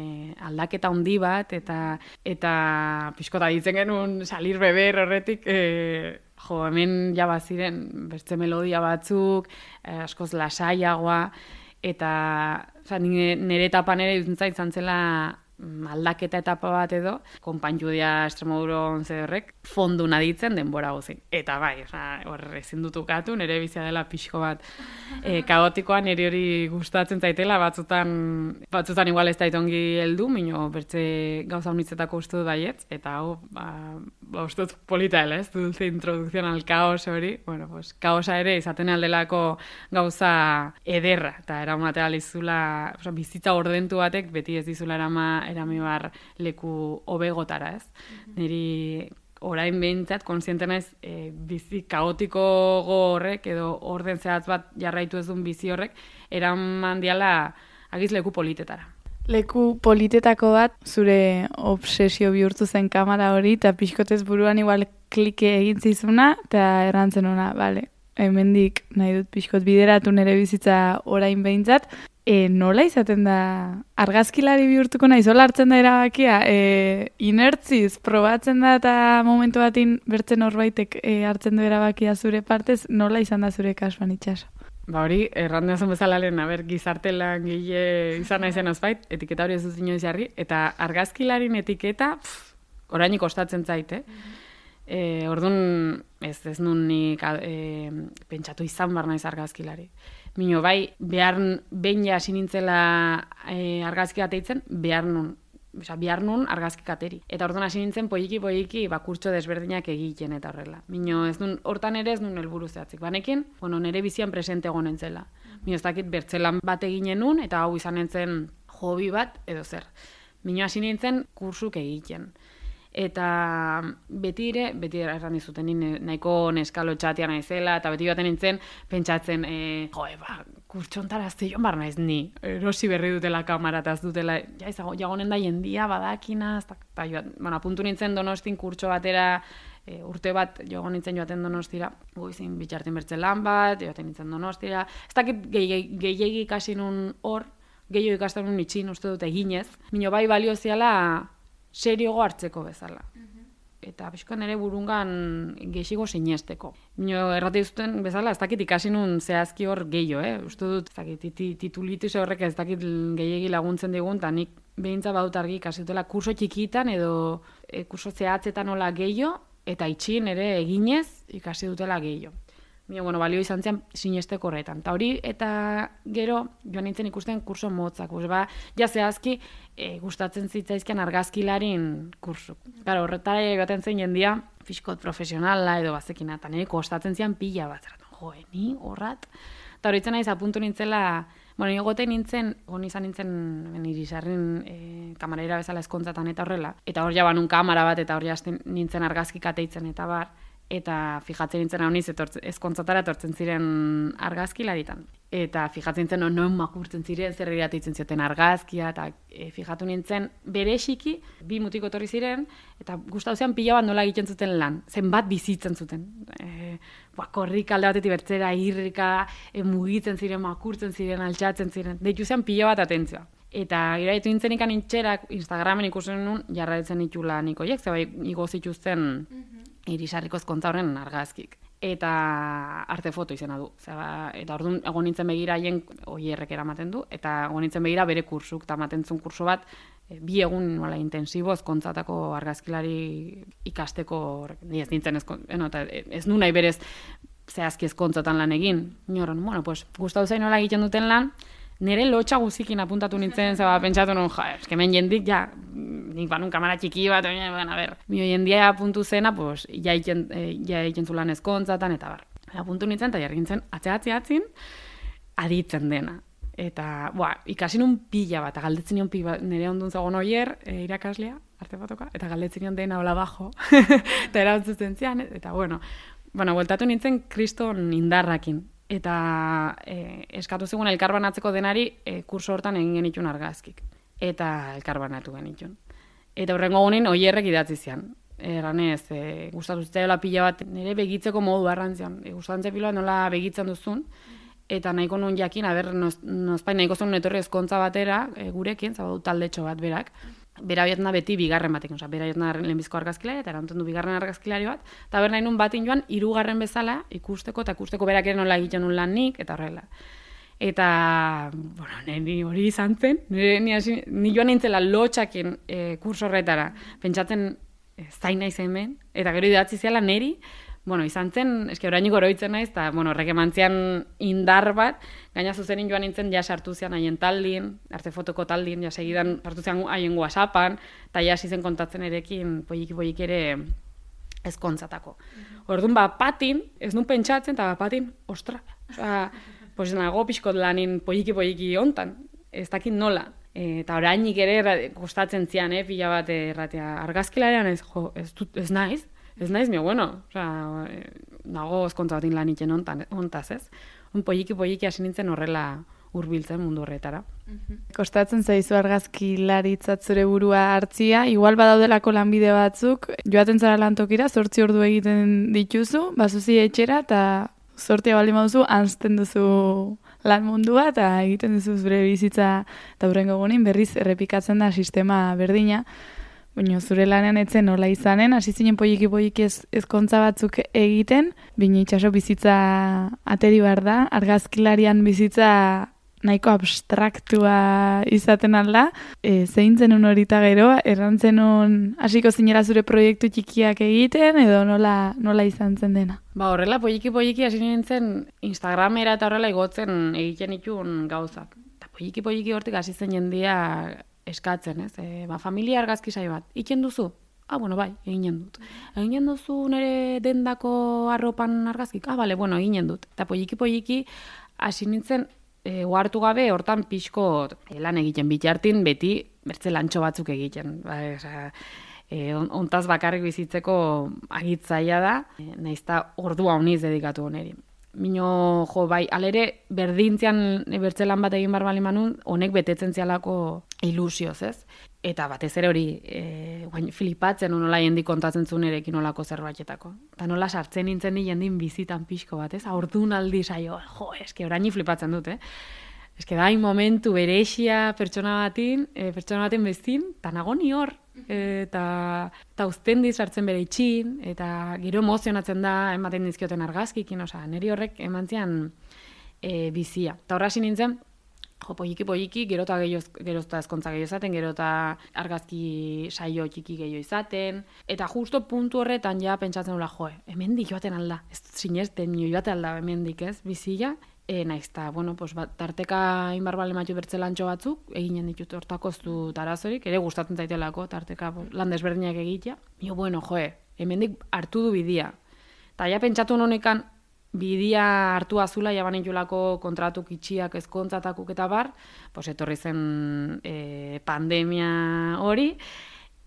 aldaketa handi bat, eta eta pixkota ditzen genuen salir beber horretik, e, jo, hemen ja baziren bertze melodia batzuk, e, askoz lasaiagoa, eta oza, nire etapan ere dutzen izan zela aldaketa etapa bat edo, konpainjudia Extremoduron zedorrek, fondu naditzen denbora guzin. Eta bai, hor ezin dut ukatu, nire bizia dela pixko bat e, kaotikoa, nire hori gustatzen zaitela, batzutan, batzutan igual ez daitongi heldu, mino bertze gauza unitzetako uste dut baietz, eta hau, ba, ba uste dut polita dela, ez, dulce introdukzion al kaos hori, bueno, pues, kaosa ere izaten aldelako gauza ederra, eta eramatea lizula, oza, bizitza ordentu batek, beti ez dizula erama erami bar leku hobegotara, ez? Mm-hmm. Niri orain behintzat, konsiente naiz, e, bizi kaotiko horrek, edo orden zehatz bat jarraitu ez duen bizi horrek, eraman diala agiz leku politetara.
Leku politetako bat, zure obsesio bihurtu zen kamera hori, eta pixkotez buruan igual klike egin zizuna, eta errantzen ona, bale, hemendik nahi dut pixkot bideratu nire bizitza orain behintzat, E, nola izaten da argazkilari bihurtuko nahi, zola hartzen da erabakia, e, inertziz, probatzen da eta momentu batin bertzen horbaitek e, hartzen du erabakia zure partez, nola izan da zure kasuan Itxaso?
Ba hori, errandu zen bezala lehen, aber, gizartelan gile izan naizen ozbait, etiketa hori ez dut inoiz jarri, eta argazkilarin etiketa, pff, orainik kostatzen zait, eh? E, orduan, ez, ez nun nik e, pentsatu izan bar naiz argazkilari. Mino, bai, behar, behin ja hasi nintzela e, argazki ateitzen, behar nun, oza, behar nun argazki kateri. Eta orduan hasi nintzen poiki-poiki ba, kurtso desberdinak egiten eta horrela. Mino, ez nun, hortan ere ez nun helburu zehatzik. Banekin, bueno, nire bizian presente egon nintzela. Mino, ez dakit bertzelan bat eginen nun, eta hau izan nintzen hobi bat, edo zer. Mino, hasi nintzen kursuk egiten. Eta beti ere, beti erran dizuten nahiko neskalo txatia naizela, eta beti baten nintzen pentsatzen, e, joe, ba, kurtsontara azte joan bar naiz ni, erosi berri dutela kamara, eta ez dutela, ja, jagonen da jendia, badakina, eta joan, bueno, apuntu nintzen Donostin kurtso batera, e, urte bat joan nintzen joaten Donostira, goizin bitxartin bertzen lan bat, joaten nintzen Donostira, ez dakit gehiegi ikasi nun hor, gehiago ikasten nun itxin, uste dut eginez, mino bai balio ziala, seriogo hartzeko bezala. Uh-huh. Eta pixko nire burungan gehiago sinesteko. Mino errate duzuten bezala, ez dakit ikasi nun zehazki hor gehiago, eh? Uste dut, ez dakit, titulitis horrek ez dakit gehiagi laguntzen digun, eta nik behintza badut argi ikasi dutela kurso txikitan edo e, kurso zehatzetan nola gehiago, eta itxin ere eginez ikasi dutela gehiago. Mio, bueno, balio izan zian sinesteko horretan. Ta hori, eta gero, joan nintzen ikusten kurso motzak. Pues, ba, ja zehazki, e, gustatzen zitzaizkian argazkilarin kursu. Claro, horretara joaten zen jendia, fiskot profesionala edo bazekina, eta nire kostatzen zian pila bat. Jo, ni horrat. Eta horitzen naiz apuntu nintzela, bueno, nire gote nintzen, hon izan nintzen irisarrin e, kamarera bezala eskontzatan eta horrela. Eta hor jaban un kamara bat, eta hor jazten nintzen argazki kateitzen eta bar. Eta fijatzen nintzen hau niz, ezkontzatara etortzen ziren argazkilaritan. Eta fijatzen nintzen, no, noen makurtzen ziren, zer iratitzen zioten argazkia, eta e, fijatu nintzen, bereziki, bi mutiko etorri ziren, eta gustau zean pila bat nola egiten zuten lan, zenbat bizitzen zuten. E, ba, korrik alde batetik bertzera, irrika, e, mugitzen ziren, makurtzen ziren, altxatzen ziren, deitu zean pila bat atentzioa. Eta iraitu nintzen ikan intxerak, Instagramen ikusen nun, jarraitzen itula niko hiek, zeba igo zituzten irisarriko ezkontza horren argazkik. Eta arte foto izena du. Zeba, eta orduan egon nintzen begira haien oierrek eramaten du, eta egon nintzen begira bere kursuk, eta ematen zuen kurso bat, e, bi egun nola intensibo ezkontzatako argazkilari ikasteko, ni ez nintzen ezkon, eno, eta ez nu nahi berez zehazki ezkontzatan lan egin. Inoron, bueno, pues, gustau zain nola egiten duten lan, nire lotxa guzikin apuntatu nintzen, zeba, pentsatu nun, ja, eskemen jendik, ja, nik banun kamara txiki bat, bueno, a ber, mio jendia apuntu zena, pues, ja iken, ja iken zulan ezkontzatan, eta bar. Apuntu nintzen, eta jarri nintzen, atxe-atxe-atzin, aditzen dena. Eta, boa, ikasi nun pila bat, galdetzen nion pila bat, nire ondun zagon oier, e, irakaslea, arte fotoka, eta galdetzen nion dena hola bajo, eta erantzuten zian, eta, bueno, bueno, bueltatu nintzen kriston indarrakin. Eta e, eskatu zegoen elkarbanatzeko denari e, kurso hortan egin genitun argazkik. Eta elkarbanatu genitun. Eta horrengo gunin oierrek idatzi zian. Erranez, e, gustatu zitzaiola pila bat, nire begitzeko modu arrantzian. E, gustatzen piloa nola begitzen duzun. Eta nahiko nun jakin, aber, nozpain nahiko zuen etorri ezkontza batera, e, gurekin, zabadu taldetxo bat berak. Bera bietna beti bigarren batekin, oza, bera bietna lehenbizko argazkilari, eta erantzen du bigarren argazkilari bat, eta ber nahi nun batin joan, hirugarren bezala ikusteko, eta ikusteko berak ere nola egiten nun lan nik, eta horrela. Eta, bueno, ni hori izan zen, ni, hasi, ni joan nintzela lotxakin e, kurso horretara, pentsatzen e, zain naiz hemen, eta gero idatzi ziala neri, bueno, izan zen, eske orainik oroitzen naiz, eta, bueno, horrek emantzian indar bat, gaina zuzenin joan nintzen, ja sartu zian haien taldin, arte fotoko taldin, ja segidan sartu zian haien WhatsAppan, eta ja zen kontatzen erekin, poiki-poiki ere ezkontzatako. Orduan, ba, patin, ez nun pentsatzen, eta ba, patin, ostra, osea, pues nago pixkot lanin poiki-poiki hontan, ez dakit nola. E, eta orainik ere kostatzen zian, eh, pila bat erratea, argazkilarean ez, jo, ez, dut, ez naiz, Ez naiz, mio, bueno, oza, nago ezkontza batin lan itxen ontaz, ez? Un poiki-poiki hasi nintzen horrela hurbiltzen mundu horretara.
Kostatzen zaizu argazkilaritzat zure burua hartzia, igual badaudelako lanbide batzuk, joaten zara lantokira, zortzi ordu egiten dituzu, bazuzi etxera, eta zortia baldin baduzu, anzten duzu lan mundua, eta egiten duzu zure bizitza, eta hurrengo gunin berriz errepikatzen da sistema berdina. Baina zure lanean etzen nola izanen, hasi zinen poiki-poiki ez, ezkontza batzuk egiten, baina itxaso bizitza ateri behar da, argazkilarian bizitza nahiko abstraktua izaten alda, e, zein zenun horita gero, errantzenun hasiko zinera zure proiektu txikiak egiten, edo nola, nola izan zen dena?
Ba horrela, poiki-poiki hasi nintzen Instagramera eta horrela igotzen egiten itun gauzak. Eta poiki-poiki hortik hasi zen jendia eskatzen, ez? E, ba, familia argazki saio bat. Iken duzu? Ah, bueno, bai, eginen dut. Eginen duzu nire dendako arropan argazkik? Ah, bale, bueno, eginen dut. Eta poiki-poiki hasi nintzen e, ohartu gabe hortan pixko e, lan egiten bitartin beti bertze lantxo batzuk egiten. Ba, oza, e, ontaz bakarrik bizitzeko agitzaia da, e, naizta ordua honiz dedikatu honeri. Mino, jo, bai, alere berdintzean bertzelan bat egin barbali manun, honek betetzen zialako ilusioz, ez? Eta batez ere hori, e, guain, flipatzen nola jendik kontatzen zuen erekin olako zerbaitzetako. Eta nola sartzen nintzen di jendin bizitan pixko bat, ez? Aurdun aldi saio, jo, eske oraini flipatzen dut, eh? Eske da, momentu berexia pertsona batin, e, pertsona baten bezin, eta nago ni hor, eta eta uzten di sartzen bere itxin, eta gero emozionatzen da ematen dizkioten argazkikin, osea, niri horrek emantzian e, bizia. Eta horra hasi nintzen, jo, poliki, poliki, gerota gerozta ezkontza gehiago izaten, gerota argazki saio txiki gehiago izaten, eta justo puntu horretan ja pentsatzen nula, jo, hemendik joaten alda, ez sinesten, joaten alda hemendik, ez, bizila, e, naiz, eta, bueno, pues, bat, tarteka inbarbale matxu bertzelantxo batzuk, eginen ditut hortakoztu tarazorik, ere gustatzen zaitelako, tarteka pues, lan desberdinak egitea, jo, bueno, jo, hemendik hartu du bidia, eta ja pentsatu honekan, bidia hartu azula, jaban itxulako kontratuk itxiak ezkontzatakuk eta bar, pues etorri zen e, pandemia hori,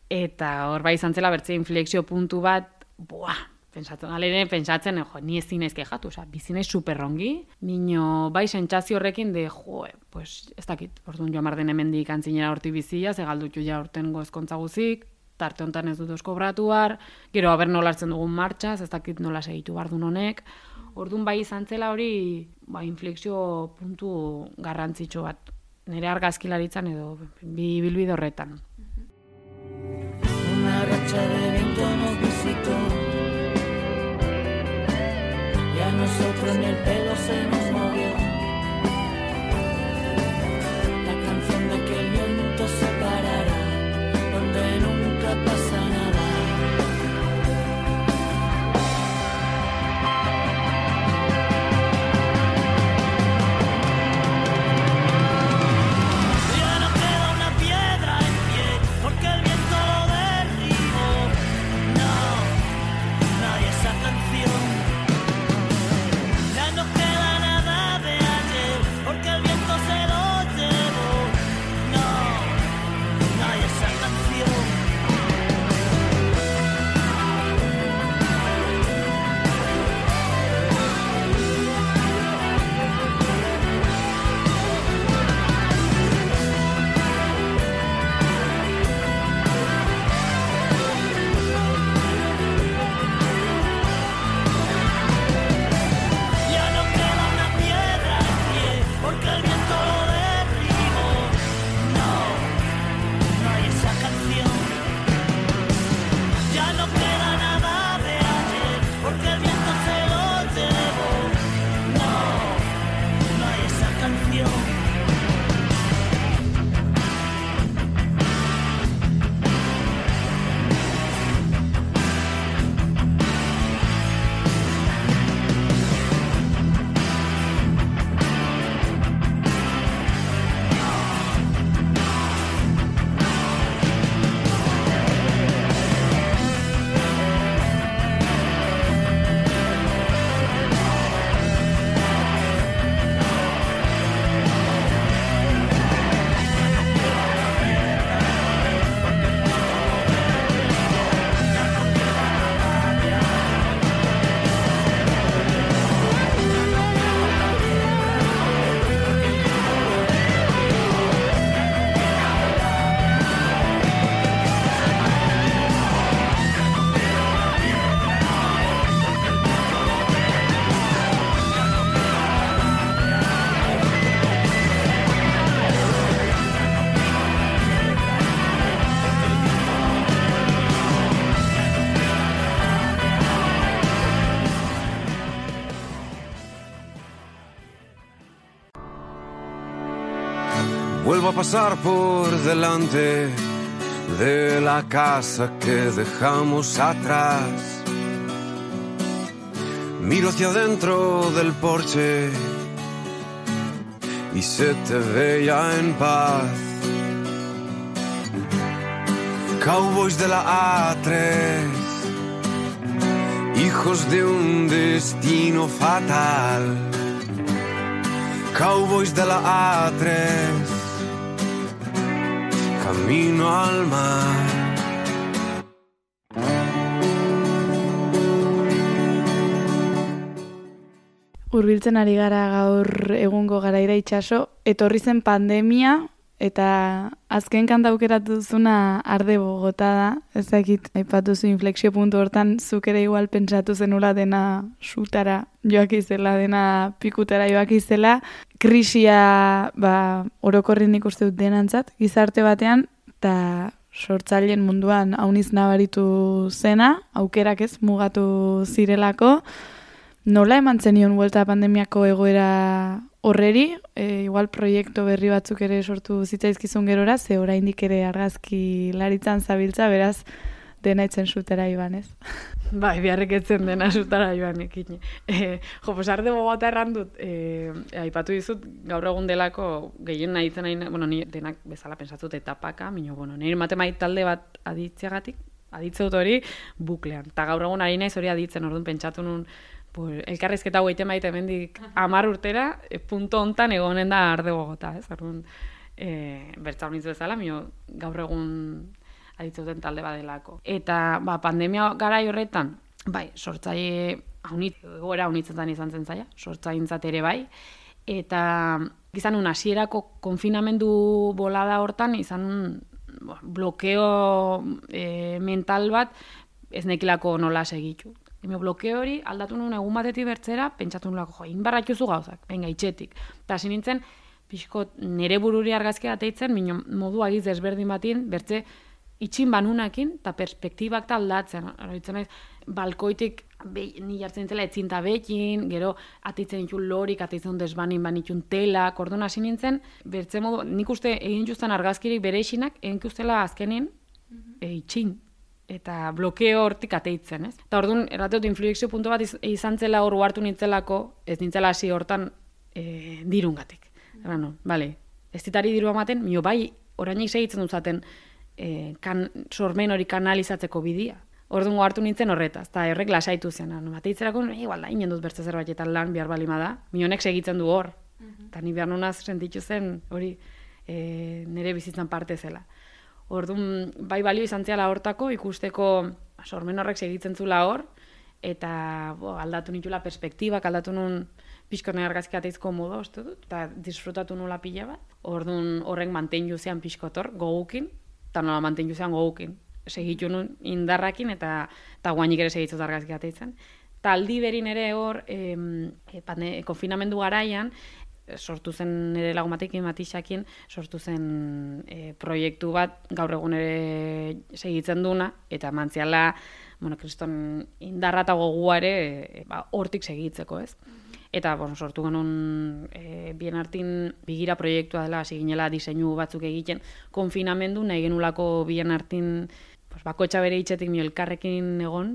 eta hor bai izan zela bertze inflexio puntu bat, buah, pentsatzen, alene pentsatzen, jo, ni ezin naiz kejatu, oza, bizi naiz superrongi, nino bai sentsazio horrekin de, jo, pues, ez dakit, orduan joan marden hemendik antzinera horti bizia, ze galdutxu ja urten ezkontza guzik, tarte honetan ez dut oskobratu bar, gero haber nola hartzen dugun martxaz, ez dakit nola segitu bardun honek, orduan bai izan zela hori ba, inflexio puntu garrantzitsu bat, nire argazkilaritzan edo bi bilbide horretan.
Una racha de viento nos visitó y a nosotros ni el pelo se nos movió. La canción de que el viento se parará donde nunca pasa nada.
Vuelvo a pasar por delante de la casa que dejamos atrás. Miro hacia adentro del porche y se te ve ya en paz. Cowboys de la A tres, hijos de un destino fatal. Cowboys de la A tres, camino al mar.
Hurbiltzen ari gara gaur egungo garaira itsaso, etorri zen pandemia eta azken kanta aukeratu duzuna Arde Bogota da. Ez dakit aipatu zu inflexio puntu hortan zuk ere igual pentsatu zenula dena sutara joak izela, dena pikutara joak izela. Krisia ba, orokorrin ikuste dut denantzat, gizarte batean, eta sortzaileen munduan hauniz nabaritu zena, aukerak ez mugatu zirelako. Nola eman zenion buelta pandemiako egoera horreri, e, igual proiektu berri batzuk ere sortu zitzaizkizun gerora, ze oraindik ere argazki laritzan zabiltza, beraz, dena etzen zutera iban, ez?
Bai, biharrek etzen dena zutara joan ekin. E, jo, pues arde bogata erran dut, e, aipatu dizut, gaur egun delako gehien nahi zen nahi, bueno, ni denak bezala pensatzut etapaka, mino, bueno, nire matematik talde bat aditzeagatik, aditze dut hori buklean. Ta gaur egun ari naiz hori aditzen, orduan pentsatu nun, pues, elkarrizketa hau egiten baita hemendik hamar urtera, e, punto hontan egonen da arde bogota, ez? Orduan, e, bertza honitz bezala, mino, gaur egun aditzeuten talde badelako. Eta ba, pandemia garai horretan, bai, sortzaile haunit, egoera haunitzetan izan zen zaila, sortzaintzat ere bai, eta izan un hasierako konfinamendu bolada hortan, izan un blokeo e, mental bat ez nekilako nola segitu. Eme blokeo hori aldatu nuen egun batetik bertzera, pentsatu nulako, jo, inbarratxuzu gauzak, venga, itxetik. Eta hasi nintzen, pixko nere bururi argazkia ateitzen, mino modu agiz desberdin batin, bertze itxin banunakin, eta perspektibak ta aldatzen. Horretzen naiz, balkoitik be, ni jartzen zela etzinta bekin, gero ateitzen ditun lorik, ateitzen desbanin banitun telak, orduan hasi nintzen, bertze modu, nik uste egin justan argazkirik bere isinak, egin ustela azkenin, e, itxin. Eta blokeo hortik ateitzen, ez? Eta orduan, errateot, influexio puntu bat iz, izan zela hor hartu nintzelako, ez nintzela hasi hortan e, dirungatik. Era no, bale, ez ditari diru amaten, mio bai, orainik segitzen duzaten, E, kan, sormen hori kanalizatzeko bidia. Orduan hartu nintzen horretaz, eta errek lasaitu zen. No, bateitzerako, igual da, inen dut bertze zerbaitetan lan behar balima da. Mionek segitzen du hor. Eta ni behar nunaz sentitu zen hori e, nire bizitzan parte zela. Orduan, bai balio izan zela hortako, ikusteko sormen horrek segitzen zula hor, eta bo, aldatu nitula perspektibak, aldatu nun pixko nahi argazki ateizko modu, uste dut, eta disfrutatu nula pila bat. Orduan horrek mantenju zean pixkotor, gogukin, eta nola mantenju zean gogukin. Segitu nun indarrakin eta, eta guainik ere segitzut argazki ateitzen. Eta aldi berin ere hor, e, e, konfinamendu garaian, sortu zen nire lagumatekin, Matixakin, sortu zen e, proiektu bat gaur egun ere segitzen duna, eta mantziala, bueno, kriston indarra eta gogua ere e, ba, hortik segitzeko, ez? Eta, bueno, sortu genuen e, bien artin bigira proiektua dela, hasi ginela diseinu batzuk egiten, konfinamendu nahi genulako bien artin pues, bakotxa bere hitzetik mio elkarrekin egon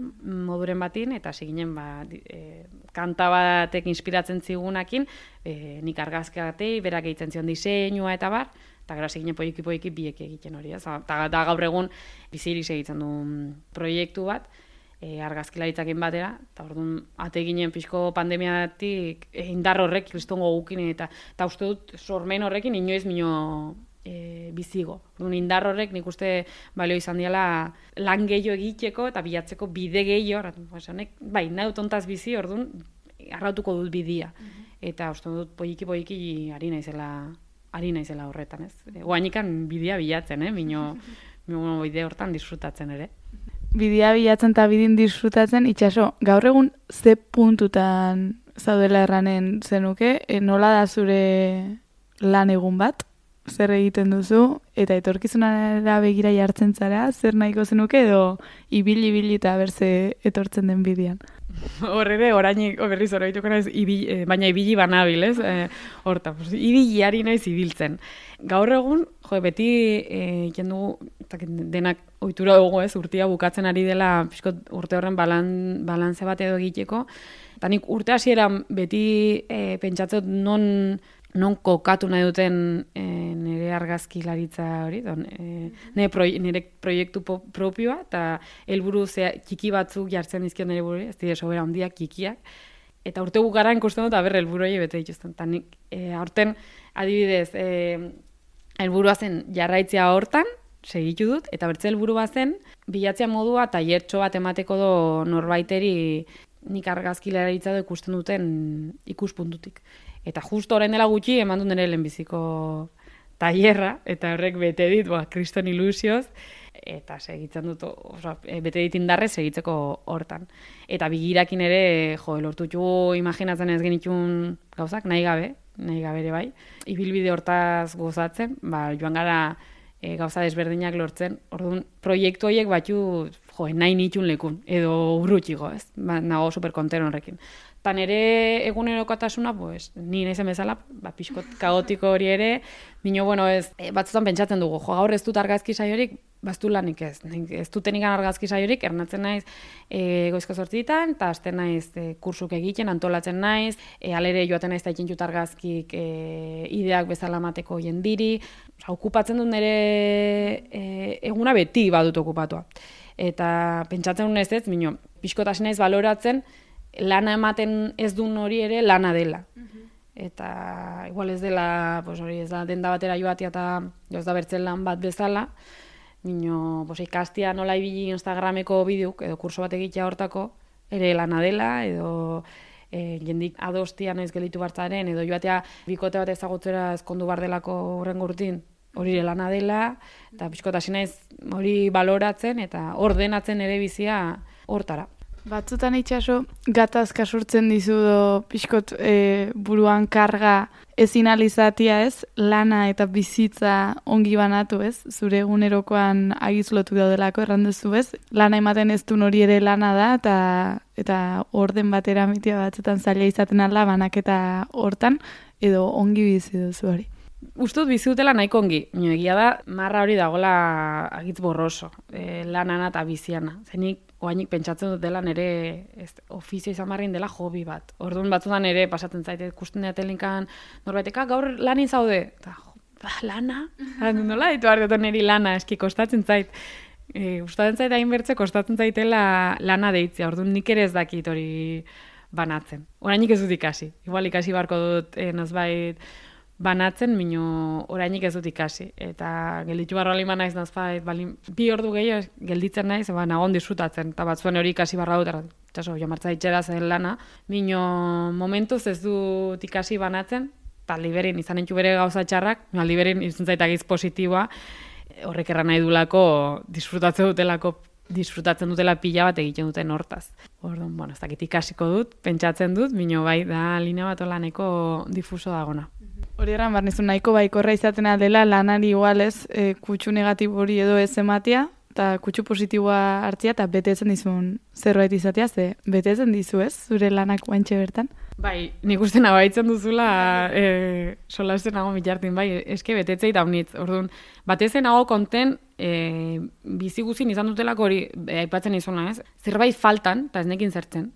moduren batin, eta hasi ginen ba, e, kanta batek inspiratzen zigunakin, e, nik argazkiatei, berak egiten zion diseinua eta bar, eta gero hasi ginen poiki-poiki biek egiten hori. Eta gaur egun bizirik egiten du proiektu bat, E, argazkilaritzakin batera, eta orduan ate ginen pixko pandemiatik e, indar horrek kristongo gukin, eta, eta uste dut sormen horrekin inoiz mino e, bizigo. Orduan indar horrek nik uste balio izan diala lan gehiago egiteko eta bilatzeko bide gehiago, honek, bai, nahi dut ontaz bizi, orduan arrautuko dut bidia. Eta uste dut poiki-poiki ari naizela, ari naizela horretan, ez? E, Oainikan bidea bilatzen, eh? Mino, mino bide hortan disfrutatzen ere.
Bidea bilatzen eta bidin disfrutatzen, itxaso, gaur egun ze puntutan zaudela erranen zenuke, e, nola da zure lan egun bat, zer egiten duzu, eta etorkizunera begira jartzen zara, zer nahiko zenuke, edo ibili-ibili eta berze etortzen den bidean.
Hor ere, orainik berriz horreituko naiz, ibili, baina ibili banabil, ez? E, horta, pues, ibili ari naiz ibiltzen. Gaur egun, jo, beti egiten dugu, denak ohitura dugu, ez, urtea bukatzen ari dela pixkot urte horren balan, balantze bat edo egiteko. Eta nik urte hasieran beti e, pentsatzen non, non kokatu nahi duten e, nire argazkilaritza hori, don, e, nire, proie, nire proiektu po, propioa, eta helburu zea txiki batzuk jartzen dizkion nire buru, ez dira sobera handiak, txikiak. Eta urte bukaran ikusten dut, aber helburu hori bete dituzten. Eta nik e, aurten adibidez, e, helburua zen jarraitzea hortan, segitu dut, eta bertze helburua zen bilatzea modua tailertxo bat emateko do norbaiteri nik argazkilaritza do ikusten duten ikuspuntutik. Eta justo orain dela gutxi eman dut nire lehenbiziko tailerra, eta horrek bete dit, ba, kriston ilusioz, eta segitzen dut, oza, bete dit indarrez segitzeko hortan. Eta bigirakin ere, jo, lortutu imaginatzen ez genitun gauzak, nahi gabe, nahi gabe ere bai. Ibilbide hortaz gozatzen, ba, joan gara e, gauza desberdinak lortzen. Orduan, proiektu horiek batzu, jo, nahi nitxun lekun, edo urrutxigo, ez? Ba, nago superkontero horrekin. Eta nire egunerokotasuna, pues, ni naizen bezala, ba, pixkot kaotiko hori ere, bino, bueno, ez, e, batzutan pentsatzen dugu, jo, gaur ez dut argazki saiorik, baztu lanik ez, ez duten ikan argazki saiorik, ernatzen naiz e, goizko zortzitan, eta azten naiz e, kursuk egiten, antolatzen naiz, e, alere joaten naiz eta ikintxut argazkik e, ideak bezala mateko jendiri, oza, okupatzen dut nire e, eguna beti badut okupatua. Eta pentsatzen dut ez ez, bino, pixkotasin naiz baloratzen, lana ematen ez duen hori ere lana dela. Eta igual ez dela, pues hori ez da denda batera joatia eta joz da bertzen lan bat bezala, bino, pues, ikastia nola ibili Instagrameko bideok edo kurso bat egitea hortako, ere lana dela, edo e, jendik adostian ez gelitu bartzaren, edo joatea bikote bat ezagutzera ezkondu bar delako horren gurtin, hori lana dela, eta pixkotasina ez hori baloratzen eta ordenatzen ere bizia hortara.
Batzutan itxaso, gatazka sortzen dizudo pixkot e, buruan karga ezin alizatia ez, lana eta bizitza ongi banatu ez, zure egunerokoan agizlotu daudelako errandezu ez, lana ematen ez duen hori ere lana da, eta eta orden batera mitia batzutan zaila izaten ala banaketa hortan, edo ongi bizi duzu hori.
Ustut bizi dutela nahiko ongi, nio egia da, marra hori dagoela agitz borroso, e, lanana eta biziana, zenik oainik pentsatzen dut dela nire ez, ofizio izan barrin dela hobi bat. Orduan batzutan ere pasatzen zaite, ikusten dira telinkan norbaiteka, gaur lanin zaude. Eta, jo, ba, lana? Nola ditu behar dut niri lana, eski kostatzen zait. E, Gustatzen zait hain bertze, kostatzen zaitela lana deitzea. Orduan nik ere ez dakit hori banatzen. Orainik ez dut ikasi. Igual ikasi barko dut eh, nazbait banatzen, mino orainik ez dut ikasi. Eta gelditu barro alima naiz nazbait, bali, bi ordu gehiago gelditzen naiz, ba, nagon disfrutatzen. Eta batzuen hori ikasi barra dut, etxaso, jamartza itxera zen lana. Mino momentuz ez dut ikasi banatzen, eta liberin izan entxu bere gauza txarrak, no, liberin izan zaitagiz positiboa, horrek erran nahi dulako, disfrutatzen dutelako, disfrutatzen dutela pila bat egiten duten hortaz. Orduan, bueno, ez dakit ikasiko dut, pentsatzen dut, mino bai, da linea bat olaneko difuso dagona.
Hori eran, barnizu nahiko baikorra izatena dela lanari igualez e, kutsu negatibo hori edo ez ematia, eta kutsu positiboa hartzia, eta betetzen dizun zerbait izatea, ze betetzen dizu ez, zure lanak guantxe bertan?
Bai, nik uste nabaitzen duzula e, solasten nago mitartin, bai, eske betetzei daunitz. Orduan, batezen nago konten e, bizi guzin izan dutelako hori e, aipatzen izuna ez, zerbait faltan, eta ez nekin zertzen,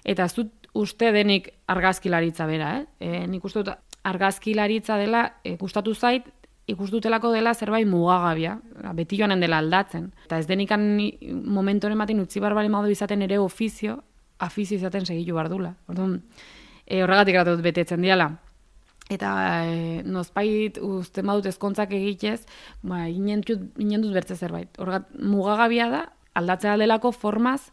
eta ez dut uste denik argazkilaritza bera, eh? E, nik uste dut argazkilaritza dela e, gustatu zait, ikustutelako dela zerbait mugagabia, beti joanen dela aldatzen. Eta ez denikan momentoren batin utzi barbari maudu izaten ere ofizio, afizio izaten segitu bardula. Orduan, e, horregatik eratu dut betetzen diala. Eta e, nozpait uste badut ezkontzak egitez, ba, inen dut bertze zerbait. Horregat, mugagabia da, aldatzea delako formaz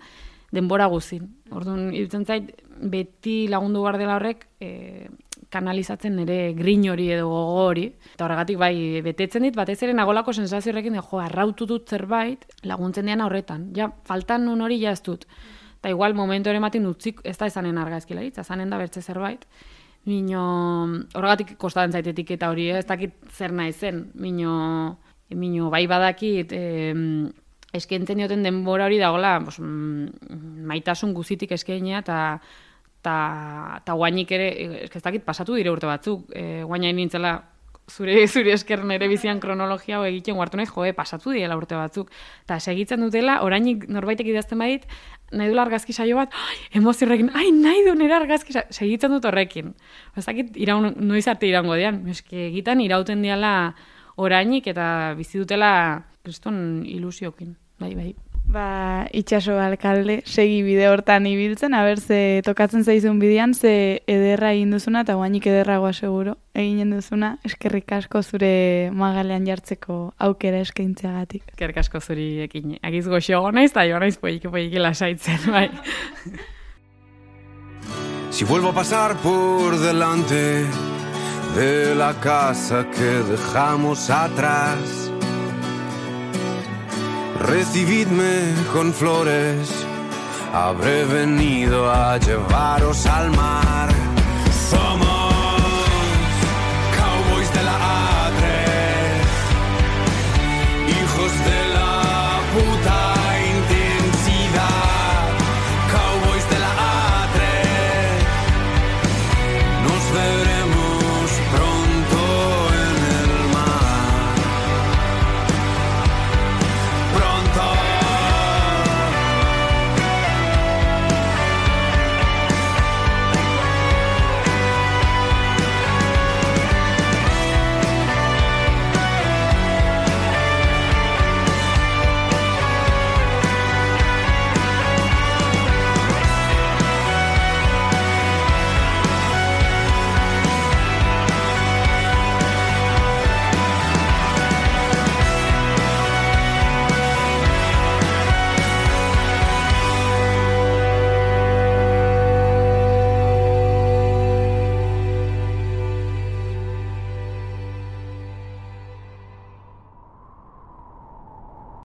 denbora guzin. Orduan, irutzen zait, beti lagundu bar dela horrek, e, kanalizatzen ere grin hori edo gogo hori. Eta horregatik bai, betetzen dit, batez ere nagolako sensazio horrekin, jo, arrautu dut zerbait, laguntzen dian horretan. Ja, faltan nun hori ja ez dut. Eta igual momentu ere matin utzik, ez da ezanen argazkilaritza, ezanen da bertze zerbait. Mino, horregatik kostatzen zaitetik eta hori, ez dakit zer nahi zen. Mino, mino bai badakit, eh, eskentzen dioten denbora hori dagoela, pues, maitasun guzitik eskenia, eta eta guainik ere, ez dakit pasatu dire urte batzuk, e, guainain nintzela zure, zure esker nere bizian kronologia hau egiten guartu nahi, joe, pasatu direla urte batzuk. Eta segitzen dutela, orainik norbaitek idazten badit, nahi dula argazki saio bat, emozio horrekin, ai, nahi du nire argazki saio, segitzen dut horrekin. Ez dakit, iraun, noiz arte irango dian, eske egitan irauten diala orainik eta bizi dutela kriston ilusiokin, bai, bai.
Ba, itxaso alkalde, segi bide hortan ibiltzen, haber ze tokatzen zaizun bidean, ze ederra egin duzuna, eta guainik ederragoa seguro eginen duzuna, eskerrik asko zure magalean jartzeko aukera eskaintzeagatik.
Eskerrik asko zuri ekin, agiz goxoago naiz, eta jo naiz poiki poiki lasaitzen, bai.
Si vuelvo a pasar por delante de la casa que dejamos atrás, recibidme con flores, habré venido a llevaros al mar.